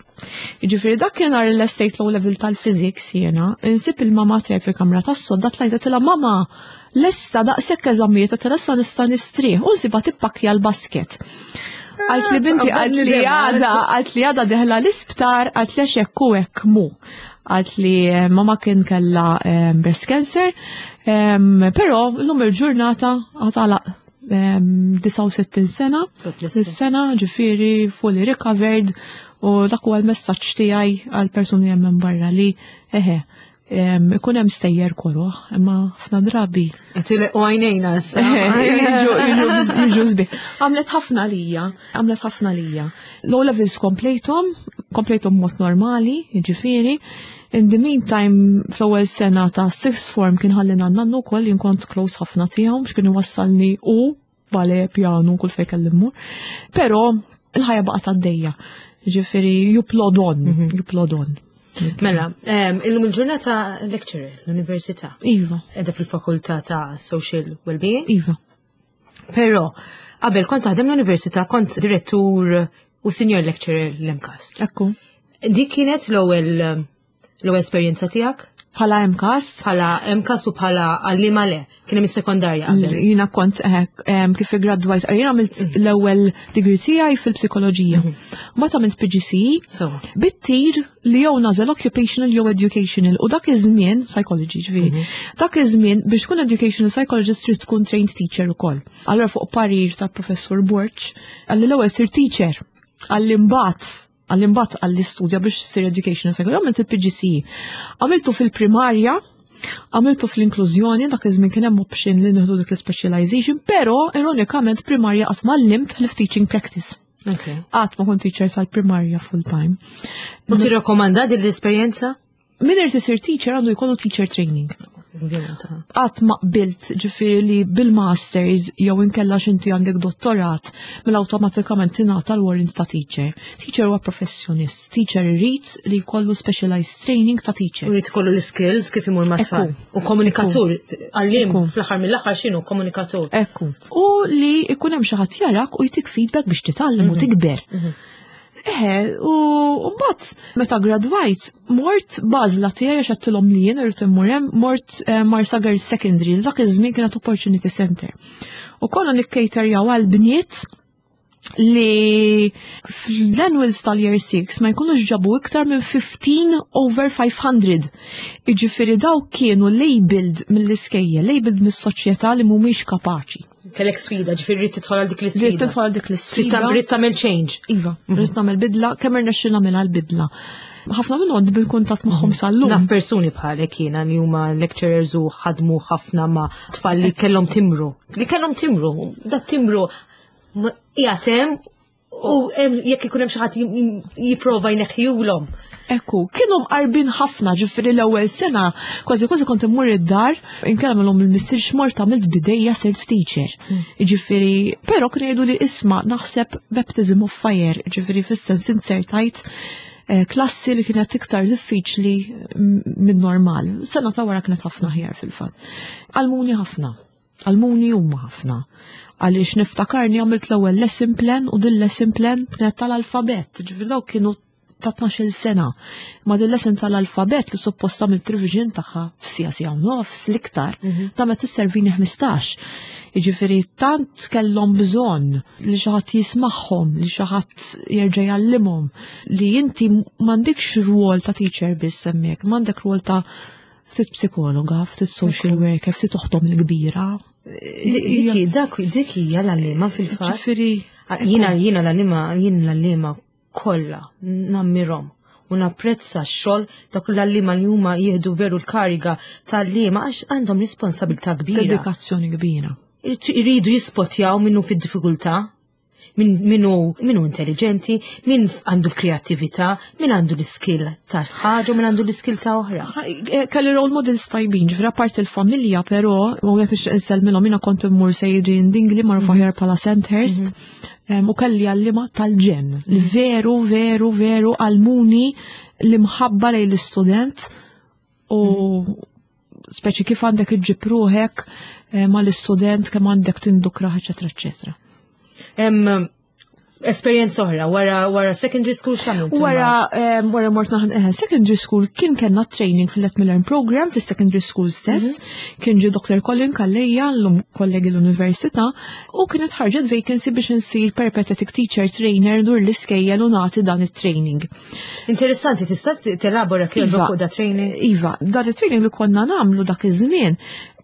Jiġifieri dak kien nhar l-estate O level tal-physics jiena, insib il-mama tiegħi fil-kamra tas-sodda, tlajt għedtilha, "Mama, lesta daqshekk eżamijiet," għedtilha, "issa nista' nistrieħ," u nsibha tippakja l-basket. Qaltli, "Binti," qaltli, "għada," qaltli, "għada dieħla l-isptar," qaltli, "għax hekk u hekk mu. Qaltli eh, mama kien kella eh, breast cancer, em, però l-lum il-ġurnata għatalaq disgħa u sittin sena, God bless her. is-sena, ġifieri fully recovered, u dak huwa l-messaġġ tiegħi għal persuni hemm minn barra li eħe em, ikun hemm stejjer koroh, imma ħafna drabi U għajnejna issa. jiġu jiġu sbieħ. Għamlet ħafna lija, għamlet ħafna lija. L-O levels komplejthom, komplejthom mod normali, jiġifieri. In the meantime, fl-ewwel sena ta' sixth form kien ħallina nannu wkoll, jien kont close ħafna tiegħu biex kien iwassalni u ballet, pjanu, kull fejn kelli mmur. Però il-ħajja baqgħet għaddejja. Ġifieri, you plod on, you plod on. Mela, em, illum il-ġurnata lecturer l-università. Iva, Qiegħda fil-fakultà ta' Social Wellbeing. Iva. Però, qabel kont taħdem l-università, kont direttur u senior lecturer l-MCAST. Ekku. Dik kienet l-ewwel l-ewwel esperjenza tiegħek? Bħala M CAST. Bħala M CAST u bħala għallima le, kien hemm is-sekondarja qabel. Jiena kont eh, em, kif gradwajt, jiena għamilt l-ewwel degree tiegħi fil-psikoloġija. Ma għamilt P G C E, So, bit-tir li jew nagħżel occupational jew educational u dak iż-żmien psychology, ġifieri. Dak iż-żmien biex tkun educational psychologist trid tkun trained teacher ukoll. Allora fuq parir tal-professur Borg, qalli l-ewwel sir teacher, qalli mbagħad qalli mbagħad qalli studja biex sir educational psychologist, għamilt il-P G C E. Għamiltu fil-primarja, għamiltu fl-inklużjoni, dak iż-żmien kien hemm option li nieħdu dik l-specialization, però ironikament primarja qatt ma għallimt ħlief teaching practice. okay. Qatt ma kont teacher tal-primarja full time. U tirrakkomanda din l-esperjenza? Min irid isir teacher għandu jkollu teacher training. Qatt ma qbilt, ġifieri, li bil-masters jew inkella x'inti għandek dottorat mela awtomatikament tingħata l-warrant ta' teacher. Teacher huwa professjonist, teacher irid li jkollu specialized training ta' teacher. U jrid ikollu l-skills kif imur ma' tfal. Ekku. U komunikatur, għallim Ekku. fl-aħħar mill-aħħar x'inhu komunikatur. Ekku. U li ikun hemm xi ħadd jarak u jtik feedback biex titgħallem u tikber. Eħe, u mbagħad meta gradwajt, mort b'għażla tiegħi għax għedtilhom li jien irid immur hemm, mort eh, Marsa Girls Secondary, li dak iż-żmien kienet Opportunity Center. U konna nikkejterjaw għal bniet li fl-annuals tal-year six ma jkunux ġabu iktar minn fifteen over five hundred. Iġifieri daw kienu labeled mill-iskejjel, labeled mis-soċjetà li mhumiex kapaċi. Kellek sfida, ġifieri rrid tidħol għal dik Rrid l-isfida. tidħol għal dik Rrid l-isfida. tam- Rrid tagħmel change. Iva, rrid nagħmel bidla, kemm irnexxi nagħmilha l-bidla. Ħafna minnhom għandi bil-kuntatt magħhom sal-lum. Naf persuni bħalek jiena li huma lecturers u ħadmu ħafna ma' tfal li kellhom timru. Li kellhom timru, da timru ma- qiegħed hemm u hemm jekk ikun hemm xi ħadd jipprova jneħħihulhom. Ekku, kienu mqarbin ħafna, ġifieri l-ewwel sena, kważi kważi kont immur id-dar, inkellem l il-missier x'mort għamilt bidejja sirt teacher. Ġifieri, però kienu jgħidu li isma' naħseb baptism of fire, ġifieri fis-sens insertajt eh, klassi li kienet iktar diffiċli minn normal. Sena ta' wara kienet ħafna ħjar fil-fatt. Għallmuni ħafna, għallmuni huma ħafna. Għaliex niftakarni għamilt l-ewwel lesson plan u din lesson plan kienet tal-alfabet, ġifieri dawk kienu ta' tnax-il sena. Ma din lesson tal-alfabet li suppost għamilt revision tagħha f'siegħa, siegħa u nofs l-iktar, damet isservini ħmistax. Jiġifieri tant kellhom bżonn li xi ħadd jismagħhom, li xi ħadd jerġa' jgħallimhom, li inti m'għandekx rwol ta' teacher biss hemmhekk, m'għandek rwol ta' ftit psikologa, ftit social worker, ftit oħtom il-kbira. Dik dak dik hija l-għalliema fil-fatt. Ġifieri, Jiena jiena l-għalliema jien l-għalliema kollha nammirhom u napprezza x-xogħol dak l-għalliema li huma jieħdu veru l-kariga tal-għalliema għax għandhom responsabilità kbira. Dedikazzjoni kbira. Iridu jispotjaw minnu fid-diffikultà, min minu minu intelligenti, min għandu l-kreattività, min għandu l-skill ta' ħaġa u min għandu l-skill ta' oħra. Eh, Kelli role models tajbin, ġifieri apart il-familja, però, u għek insellmilhom, jiena kont immur Adrian Dingli, magħruf aħjar bħala Sandhurst, em, u kelli għallima tal-ġenn, li veru, veru, veru għallmuni l-imħabba lejn l-istudent u speċi kif għandek iġġib ruħek eh, mal-istudent, kemm għandek tindukra, eċetera, eċetera. Em, Esperjenza oħra, wara wara secondary school x'għamilt? Wara, um, wara mort naħan eh, secondary school kien kellna training fil-Let Me Learn program fil-secondary school stess. Kien ġi Doctor Colin Calleja, l-lum kollegi l-università, u kienet ħarġet vacancy biex insir peripatetic teacher trainer dur l-iskejjel u nagħti dan it-training. Interessanti, tista' telabora kif Iva. fuq da training? Iva, dan it-training li konna nagħmlu dak iż-żmien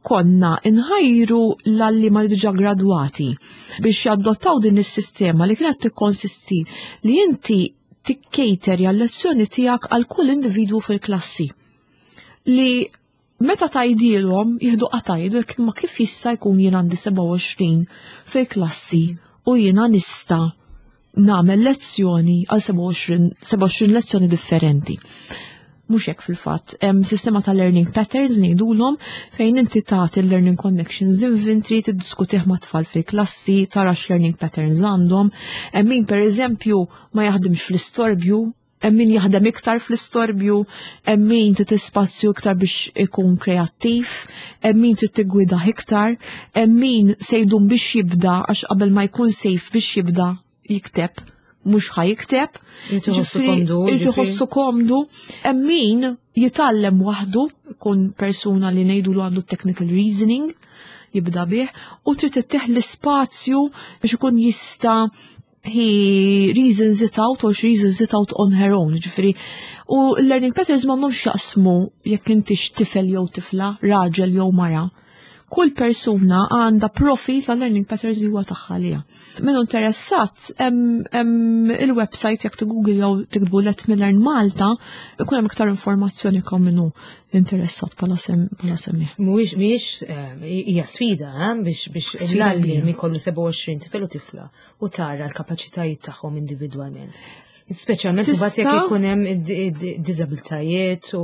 konna nħajru l-għalliema li diġà gradwati biex jadottaw din is-sistema li kienet tikkonsisti li inti tikkejterja l-lezzjoni tiegħek għal kull individwu fil-klassi. Li meta tgħidilhom jieħdu qatajdu ma kif jista' jkun jien għandi sebgħa u għoxrin fil-klassi u jiena nista' nagħmel lezzjoni għal sebgħa u għoxrin sebgħa u għoxrin lezzjoni differenti. Mhux hekk fil-fatt, hemm sistema ta' learning patterns ngħidulhom fejn inti tagħti l-learning connections inventory, tiddiskutih ma' tfal fil-klassi, tara x-learning patterns għandhom. Hemm min pereżempju ma jaħdimx fl-istorbju, hemm min jaħdem iktar fl-istorbju, hemm min trid spazju iktar biex ikun kreattiv, hemm min trid tiggwidah iktar, hemm min se jdum biex jibda għax qabel ma jkun safe biex jibda jikteb, mhux ħa jikteb. Irid iħossu Ġifieri, komdu, irid ġifieri. iħossu komdu. Hemm min Jitgħallem waħdu, ikun persuna li ngħidu lu għandu technical reasoning, jibda bih, u trid ittih l-ispazju biex ikun jista' he reasons it out or she reasons it out on her own, ġifieri. U learning patterns m'għandhomx jaqsmu jekk intix tifel jew tifla, raġel jew mara. Kull persuna għandha profil ta' learning patterns li huwa tagħha għaliha. Min interessat, hemm il-website, jekk Google jew tiktbu Let Me Learn Malta, ikun hemm iktar informazzjoni kemm minnu interessat bħala semmi. Mhuwiex mhijiex eh, hija sfida eh, biex biex l-għalliem ikollu sebgħa u għoxrin tifel u tifla u tara l-kapaċitajiet tagħhom individwalment. Speċjalment imbagħad jekk ikun hemm diżabilitajiet u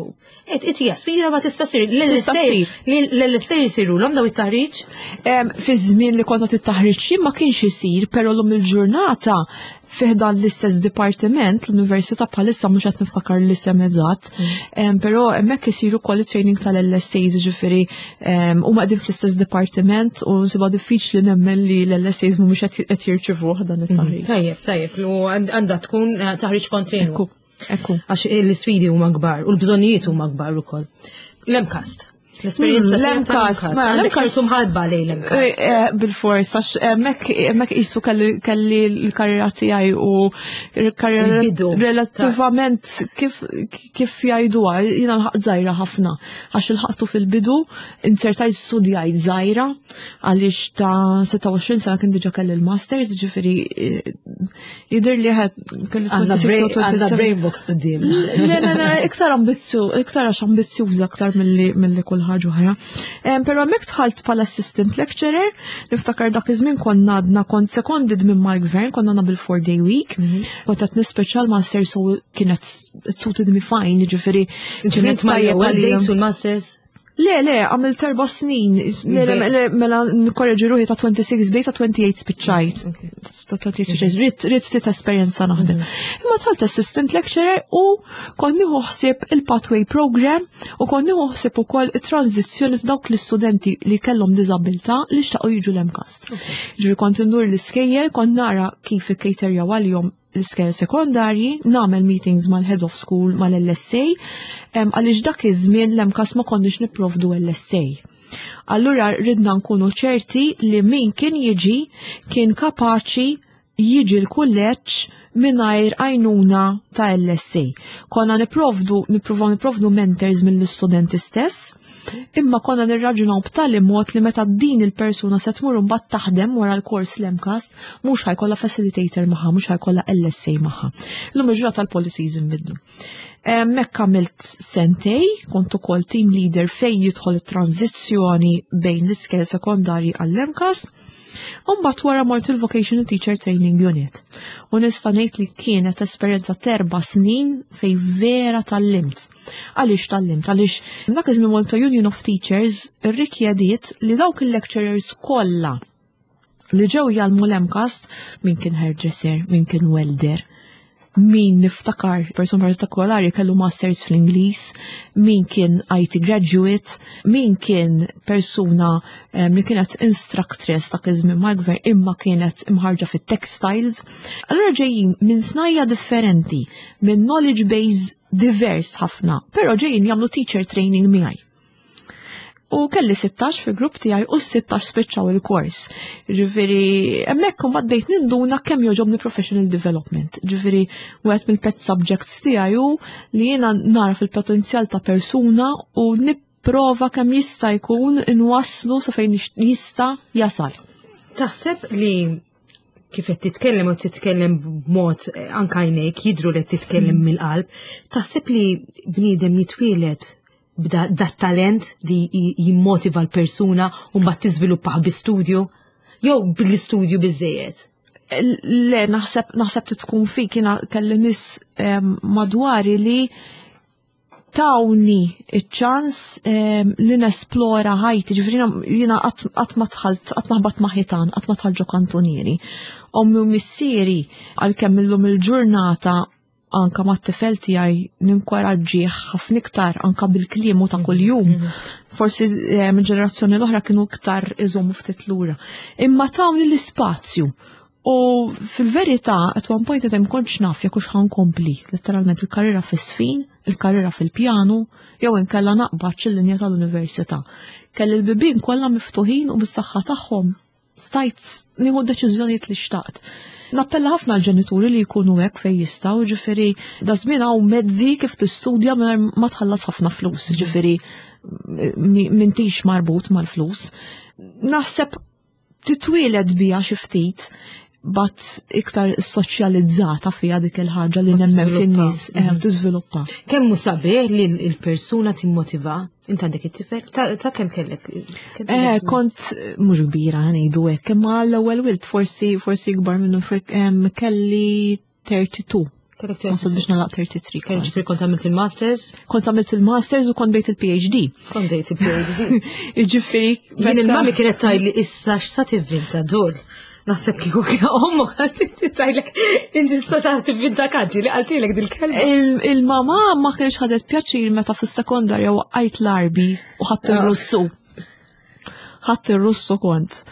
qed hija sfida, ma tista' ssir. L-L S A jsirulhom daw it-taħriġ? Fi żmien li konna it-taħriġ ma kienx isir, però llum il-ġurnata fi ħdan l-istess dipartiment, l-università, bħalissa mhux qed niftakar l-isem eżatt, mm. però hemmhekk isiru ukoll training tal-L S As, ġifieri huma qegħdin fl-istess dipartiment u nsibha diffiċli nemmen li l-L S As mhumiex qed jirċivuh dan it-taħriġ. Mm. Tajjeb, tajjeb, u għandha tkun eh, taħriġ kontinu. Ekku. Għax l-isfidi huma kbar u l-bżonnijiet huma kbar ukoll. L-MCAST. L-esperjenza. L-MCAST, l-MCAST. Mħabba lej l-MCAST. Eh, eh, bil-fors, għax hemmhekk qisu kelli l-karriera tiegħi u l-karriera relattivament, kif kif jgħiduha, jiena lħaqt żgħira ħafna, għax ilħaqtu fil-bidu, inzertajt studjajt żgħira, għaliex ta' sitta u għoxrin sena kien diġà kelli l-masters, ġifieri eh, jidher li ħed kelli Għandna brain box quddiem. Le, le, le, iktar ambizzju, iktar għax ambizzjuża aktar milli kull ħaġa oħra. Però hemmhekk dħalt bħala assistant lecturer, niftakar dak iż-żmien konna għadna kont seconded minn mal-gvern, konna għandna bil-four day week, mhm. kont qed nispeċjal master, so kienet suited me fine, ġifieri kienet tajjeb għalija. Masters? Le, le, għamilt erba' snin. Le, le, le, mela nkorreġi ruħi, ta' tlieta u għoxrin bdejt, ta' tmienja u għoxrin spiċċajt. Ta' tmienja u għoxrin spiċċajt. Ridt ridt ftit esperjenza naħdem. Imma dħalt assistant lecturer u kont nieħu ħsieb il-pathway program u kont nieħu ħsieb ukoll it-tranzizzjoni ta' dawk l-istudenti li kellhom diżabilità li xtaqu jiġu l-MCAST. Ġifieri kont indur l-iskejjel, kont nara kif ikkejterjaw għalihom l-iskejjel sekondarji, nagħmel meetings mal-head of school, mal-L S A, għaliex dak iż-żmien l-MCAST ma konniex nipprovdu L S A. Allura ridna nkunu ċerti li min kien jiġi kien kapaċi jiġi l-kulleġġ mingħajr għajnuna ta' L S A. Konna niprovdu, nipruvaw niprovdu mentors mill-istudenti stess, imma konna nirraġunaw b'tali mod li meta din il-persuna se tmur mbagħad taħdem wara l-kors l-MCAST, mhux ħa jkollha facilitator magħha, mhux ħa jkollha L S A magħha. Illum il-ġurnata tal-policies inbidlu. Hemmhekk għamilt sentejn, kont ukoll team leader fej jidħol it-tranzizzjoni bejn l-iskejjel sekondarji għall-MCAST. Umbat wara mort il-Vocational Teacher Training Unit. U nista' ngħid li kienet esperjenza t'erba' snin fej vera tgħallimt. Għaliex tgħallimt? Għaliex dak iż-żmien Malta Union of Teachers irrikjediet li dawk il-lecturers kollha li ġew jgħallmu l-MCAST, min kien hairdresser, min kien welder, min niftakar person partikolari kellu masters fl-Ingliż, min kien I T graduate, min kien persuna um, li kienet instructress ta' iż-żmien mal-gvern imma kienet imħarġa fit-textiles. Allura ġejjin minn snajja differenti, minn knowledge base divers ħafna, però ġejjin jagħmlu teacher training miegħi. U kelli sittax fi grupp tiegħi u sittax spiċċaw il-kors. Ġifieri, hemmhekk imbagħad bdejt ninduna kemm jogħġobni professional development. Ġifieri, wieħed mill-pet subjects tiegħi hu li jiena nara fil-potenzjal ta' persuna u nipprova kemm jista' jkun inwasslu sa fejn jista' jasal. Taħseb li kif qed titkellem u titkellem b'mod eh, anka għajnejk jidru li qed titkellem mm. mill-qalb, taħseb li bniedem jitwielet b'da dat-talent li jimmotiva l-persuna u mbagħad tiżviluppah bi studju jew bil-istudju biżejjed? Le, naħseb naħseb tkun fik. Jiena kelli nies madwari li tawni iċ-ċans li nesplora ħajti, ġifieri jiena qatt ma dħalt, qatt ma ħbatt ma' ħitan, qatt ma dħalt ġo kantunieri. Ommi u missieri, għalkemm illum il-ġurnata anka ma' t-tifel tiegħi ninkoraġġih ħafna iktar anka bil-kliem ta' kuljum. Mhm. Forsi minn ġenerazzjoni l-oħra kienu iktar iżommu ftit lura. Imma tawni l-ispazju. U fil-verità, at one point in time kontx naf jekk hux ħa nkompli, letteralment il-karriera fis-sfin, il-karriera fil-pjanu, jew inkella naqbad il-linja tal-università. Kelli l-bibien kollha miftuħin u bis-saħħa tagħhom stajt nieħu deċiżjonijiet li xtaqt. Nappella ħafna l-ġenituri li jkunu hekk fejn jistgħu, ġifieri da żmien hawn mezzi kif tistudja mingħajr ma tħallas ħafna flus, ġifieri m'intix marbut mal-flus. Naħseb titwieled bija xi ftit, but iktar soċjalizzata fija dik il-ħaġa li nemmen fin-nies eh, u tiżviluppa. Kemm hu sabiħ li l-persuna timmotiva? Int għandek it-tifel? Ta' kemm kellek? Eh, kont mhux kbira ngħidu hekk, imma l-ewwel wild forsi forsi ikbar minnu kelli tlieta u tletin. Wasal biex nagħlaq tlieta u tletin. Kelli ġifieri kont għamilt il-masters? Kont għamilt il-masters u kont bdejt il-P H D. Kont bdejt il-P H D. Ġifieri. Jien il-mami kienet tgħidli, "Issa x'sa tivvinta dol?" Naħseb kieku kien ommok tgħidlek, "Inti issa sa tivvinta kaġġi", li qaltilek dil-kelma. Il-mama ma kienx ħadet pjaċir meta fis-sekondarja waqqajt l-Għarbi u ħadt ir-Russu. Ħadt ir-Russu kont.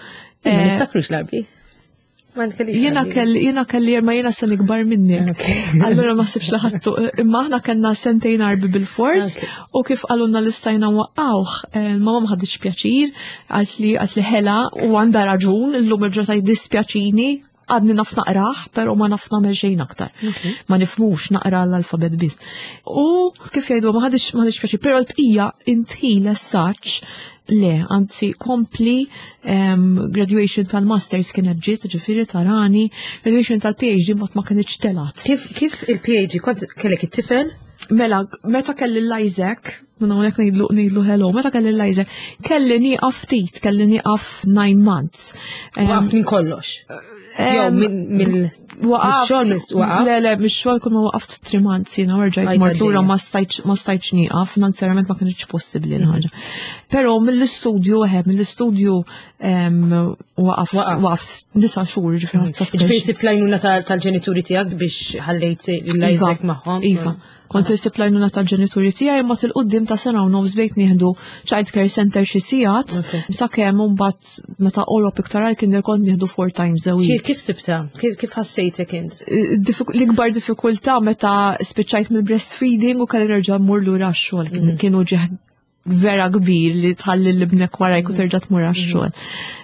Ma niftakrux l-Għarbi. Jiena kelli, jiena kelli, ma jiena sena ikbar minnek. Allora ma sibx laħattu. Imma aħna kellna sentejn Għarbi bil-fors u kif qalulna li stajna nwaqqgħuh, il-mama ma ħaditx pjaċir, għalt li għalt li ħela u għandha raġun, illum il-ġurnata jiddispjaċini, għadni naf naqrah, pero ma naf nagħmel xejn aktar. Ma nifhmux, naqra l-alfabet biss. U kif jgħidu, ma ħaditx ma ħaditx pjaċir, pero l-bqija intħil as-saċ le, anzi kompli um, graduation tal-masters kienet ġiet, ġifieri tarani, graduation tal-P H D mod ma kienx telat. Kif, kif il-P H D, kont kellek it-tifel? Mela, meta kelli l-Isaac, minna hawnhekk ngħidlu ngħidlu hello, meta kelli l-Isaac, kelli nieqaf ftit, kelli nieqaf nine months. Waqaf minn kollox. Jew mill Waqaft. Waqaf. Le, le, mix-xogħol kull ma waqaft three months jiena rġajt mort lura, ma stajtx ma stajtx nieqaf, finanzjarament ma kienx possibbli l-ħaġa. Però mill-istudju, eħe, mill-istudju waqaft waqaft disa' xhur, ġifieri. Ġifieri sibt l-għajnuna tal-ġenituri tiegħek biex ħallejt l-Isaac magħhom. Iva. Kont insib l-għajnuna tal-ġenituri tiegħi, imma 'il quddiem ta' sena u nofs bdejt nieħdu child care center xi sigħat, sakemm mbagħad meta qorob iktar għal kien kont nieħdu four times a week. Kif sibta? Kif ħassejtek int? L-ikbar diffikultà meta spiċċajt mill-breastfeeding u kelli nerġa' mmur lura x-xogħol, mhm. kienu ġeħ vera kbir li tħalli l-ibnek warajk u terġa' tmur għax-xogħol.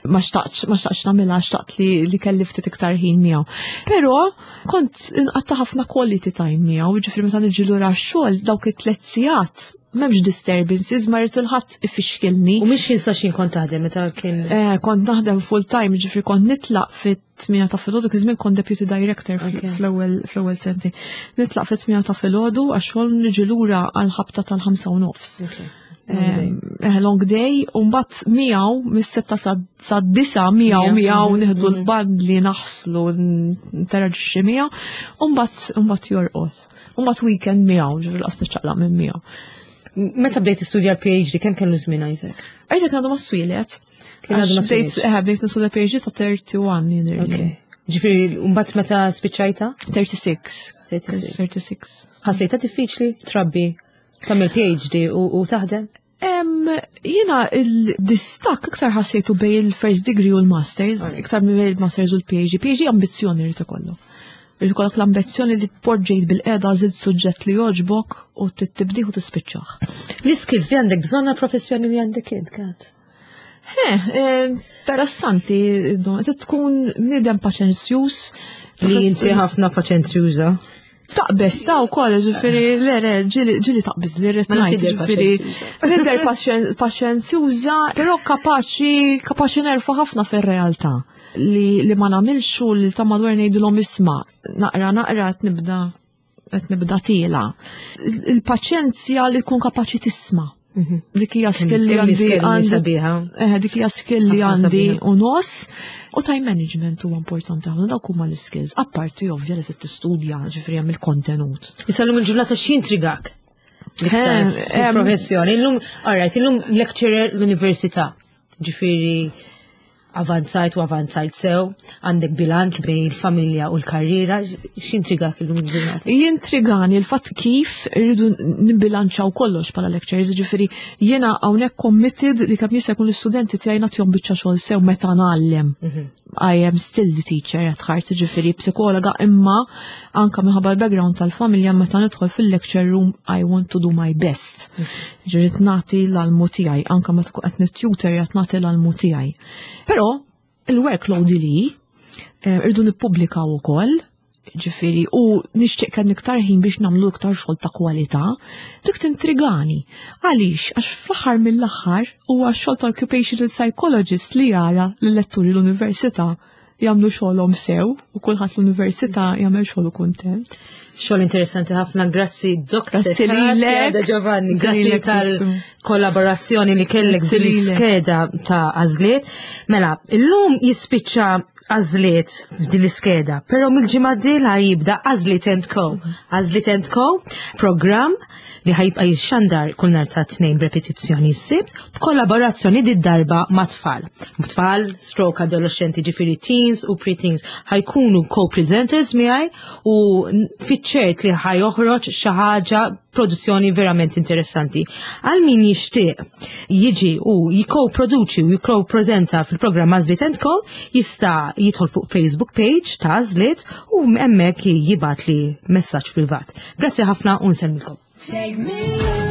Ma xtaqtx, ma xtaqtx nagħmilha, xtaqt li, li kelli ftit iktar ħin miegħu. Però kont inqatta' ħafna quality time miegħu, ġifieri meta niġi lura għax-xogħol dawk it-tliet sigħat m'hemmx disturbances, ma rrid il-ħadd ifixkilni. U mhix jinsa xin kont taħdem meta kien. Eh, kont naħdem full time, ġifieri kont nitlaq fit-tmienja ta' filgħodu, kif żmien kont deputy director fl-ewwel fl-ewwel senti. Nitlaq fit-tmienja ta' filgħodu għax-xogħol, niġi lura għal ħabta tal-ħamsa u nofs. Eh, long day, u mbagħad miegħu mis-sitta sa disa miegħu miegħu nieħdu mhm. l-bandli, naħslu, interaġixxi miegħu, u mbagħad mbagħad jorqod. U mbagħad weekend miegħu, ġifieri lanqas niċċaqlaq minn miegħu. Meta bdejt tistudja l-P H D, kemm kellu żmien Isaac? Isaac għadu ma twieled. Kien għadu ma bdejt eh, bdejt nistudja P H D ta' wieħed u tletin jidhirli. Ġifieri, mbagħad meta spiċċajta? tlieta u tletin. tlieta u tletin. Ħassejta diffiċli trabbi, tagħmel P H D u taħdem? Jiena il-distakk iktar ħassejtu bejn il-first degree u l-masters, iktar minn bejn il-masters u l-P H D. P H D ambizzjoni rrid ikollu. Rrid ikollok l-ambizzjoni li tpoġġejt bilqiegħda, żied suġġett li jogħġbok u tibdih u tispiċċah. L-iskills li għandek bżonna professjoni li għandek int, Kat? Eh, interessanti, tkun bniedem paċenzjuż. Li inti ħafna paċenzjuża. Taqbes ta' u koll, ġifieri, le, le, ġieli taqbes li rrit ngħid, ġifieri, nidher paċenzjuża, però kapaċi, kapaċi nerfa ħafna fil-realtà. Li, li ma nagħmilx u li ta' madwar ngħidulhom, "Isma', naqra naqra qed nibda qed nibda tiela." Il-paċenzja li tkun kapaċi tisma'. Mhm. Dik hija skill li għandi għandi. Eh, dik hija skill li għandi u nos. U time management huwa importanti ħafna, dawk huma l-skills. Apparti ovvja li tistudja, ġifieri hemm il-kontenut. Issa llum il-ġurnata x'jintrigak? L-iktar professjoni. Illum, alright, illum lecturer l-università. Ġifieri avanzajt u avanzajt sew, għandek bilanċ bejn il-familja u l-karriera, x'intrigak illum il-ġurnata? Jintrigani il-fatt kif irridu nibbilanċaw kollox bħala lecturers, ġifieri jiena hawnhekk committed li kemm jista' jkun l-istudenti tiegħi nagħtihom biċċa xogħol sew meta ngħallem. Mhm. I am still the teacher at heart, ġifieri psikologa, imma anka minħabba l-background tal-familja, meta nidħol fil-lecture room I want to do my best. Ġifieri nagħti l-almu tiegħi, anka meta tkun qed nittutor qed nagħti l-almu tiegħi. Però il-workload li eh, irdu nippubblikaw ukoll, ġifieri, u nixtieq kan iktar ħin biex nagħmlu iktar xogħol ta' kwalità, dik tintrigani. Għaliex? Għax fl-aħħar mill-aħħar huwa xogħol ta' occupational psychologist li jara l-letturi l-università jagħmlu xogħolhom sew u kulħadd l-università jagħmel xogħlu kuntent. Xogħol interessanti ħafna, grazzi Doktor Grazzi lilek. Da Giovanni, Grazzi grazzi lilek tal-kollaborazzjoni li kellek Grazzi lilek. bil-iskeda ta' Għażliet. Mela, illum jispiċċa Għażliet f'din l-iskeda, però mill-ġimgħa d-dieħla jibda Għażliet and Co. Għażliet and Co, program li ħa jibqa' jixxandar kull nhar ta' Tnejn b'repetizzjoni s-Sibt, b'kollaborazzjoni di darba ma' tfal. Tfal, stroke adolescenti, ġifieri teens u pre-teens ħa jkunu co-presenters miegħi u fiċ-ċert li ħa joħroġ xi ħaġa, produzzjoni verament interessanti. Għal min jixtieq jiġi u jiko-produċi u jiko-prezenta fil-programm Għażliet and Co, jista' jidħol fuq Facebook page ta' Għażliet u hemmhekk jibgħat li messaġġ privat. Grazzi ħafna u nsellmilkom. Take me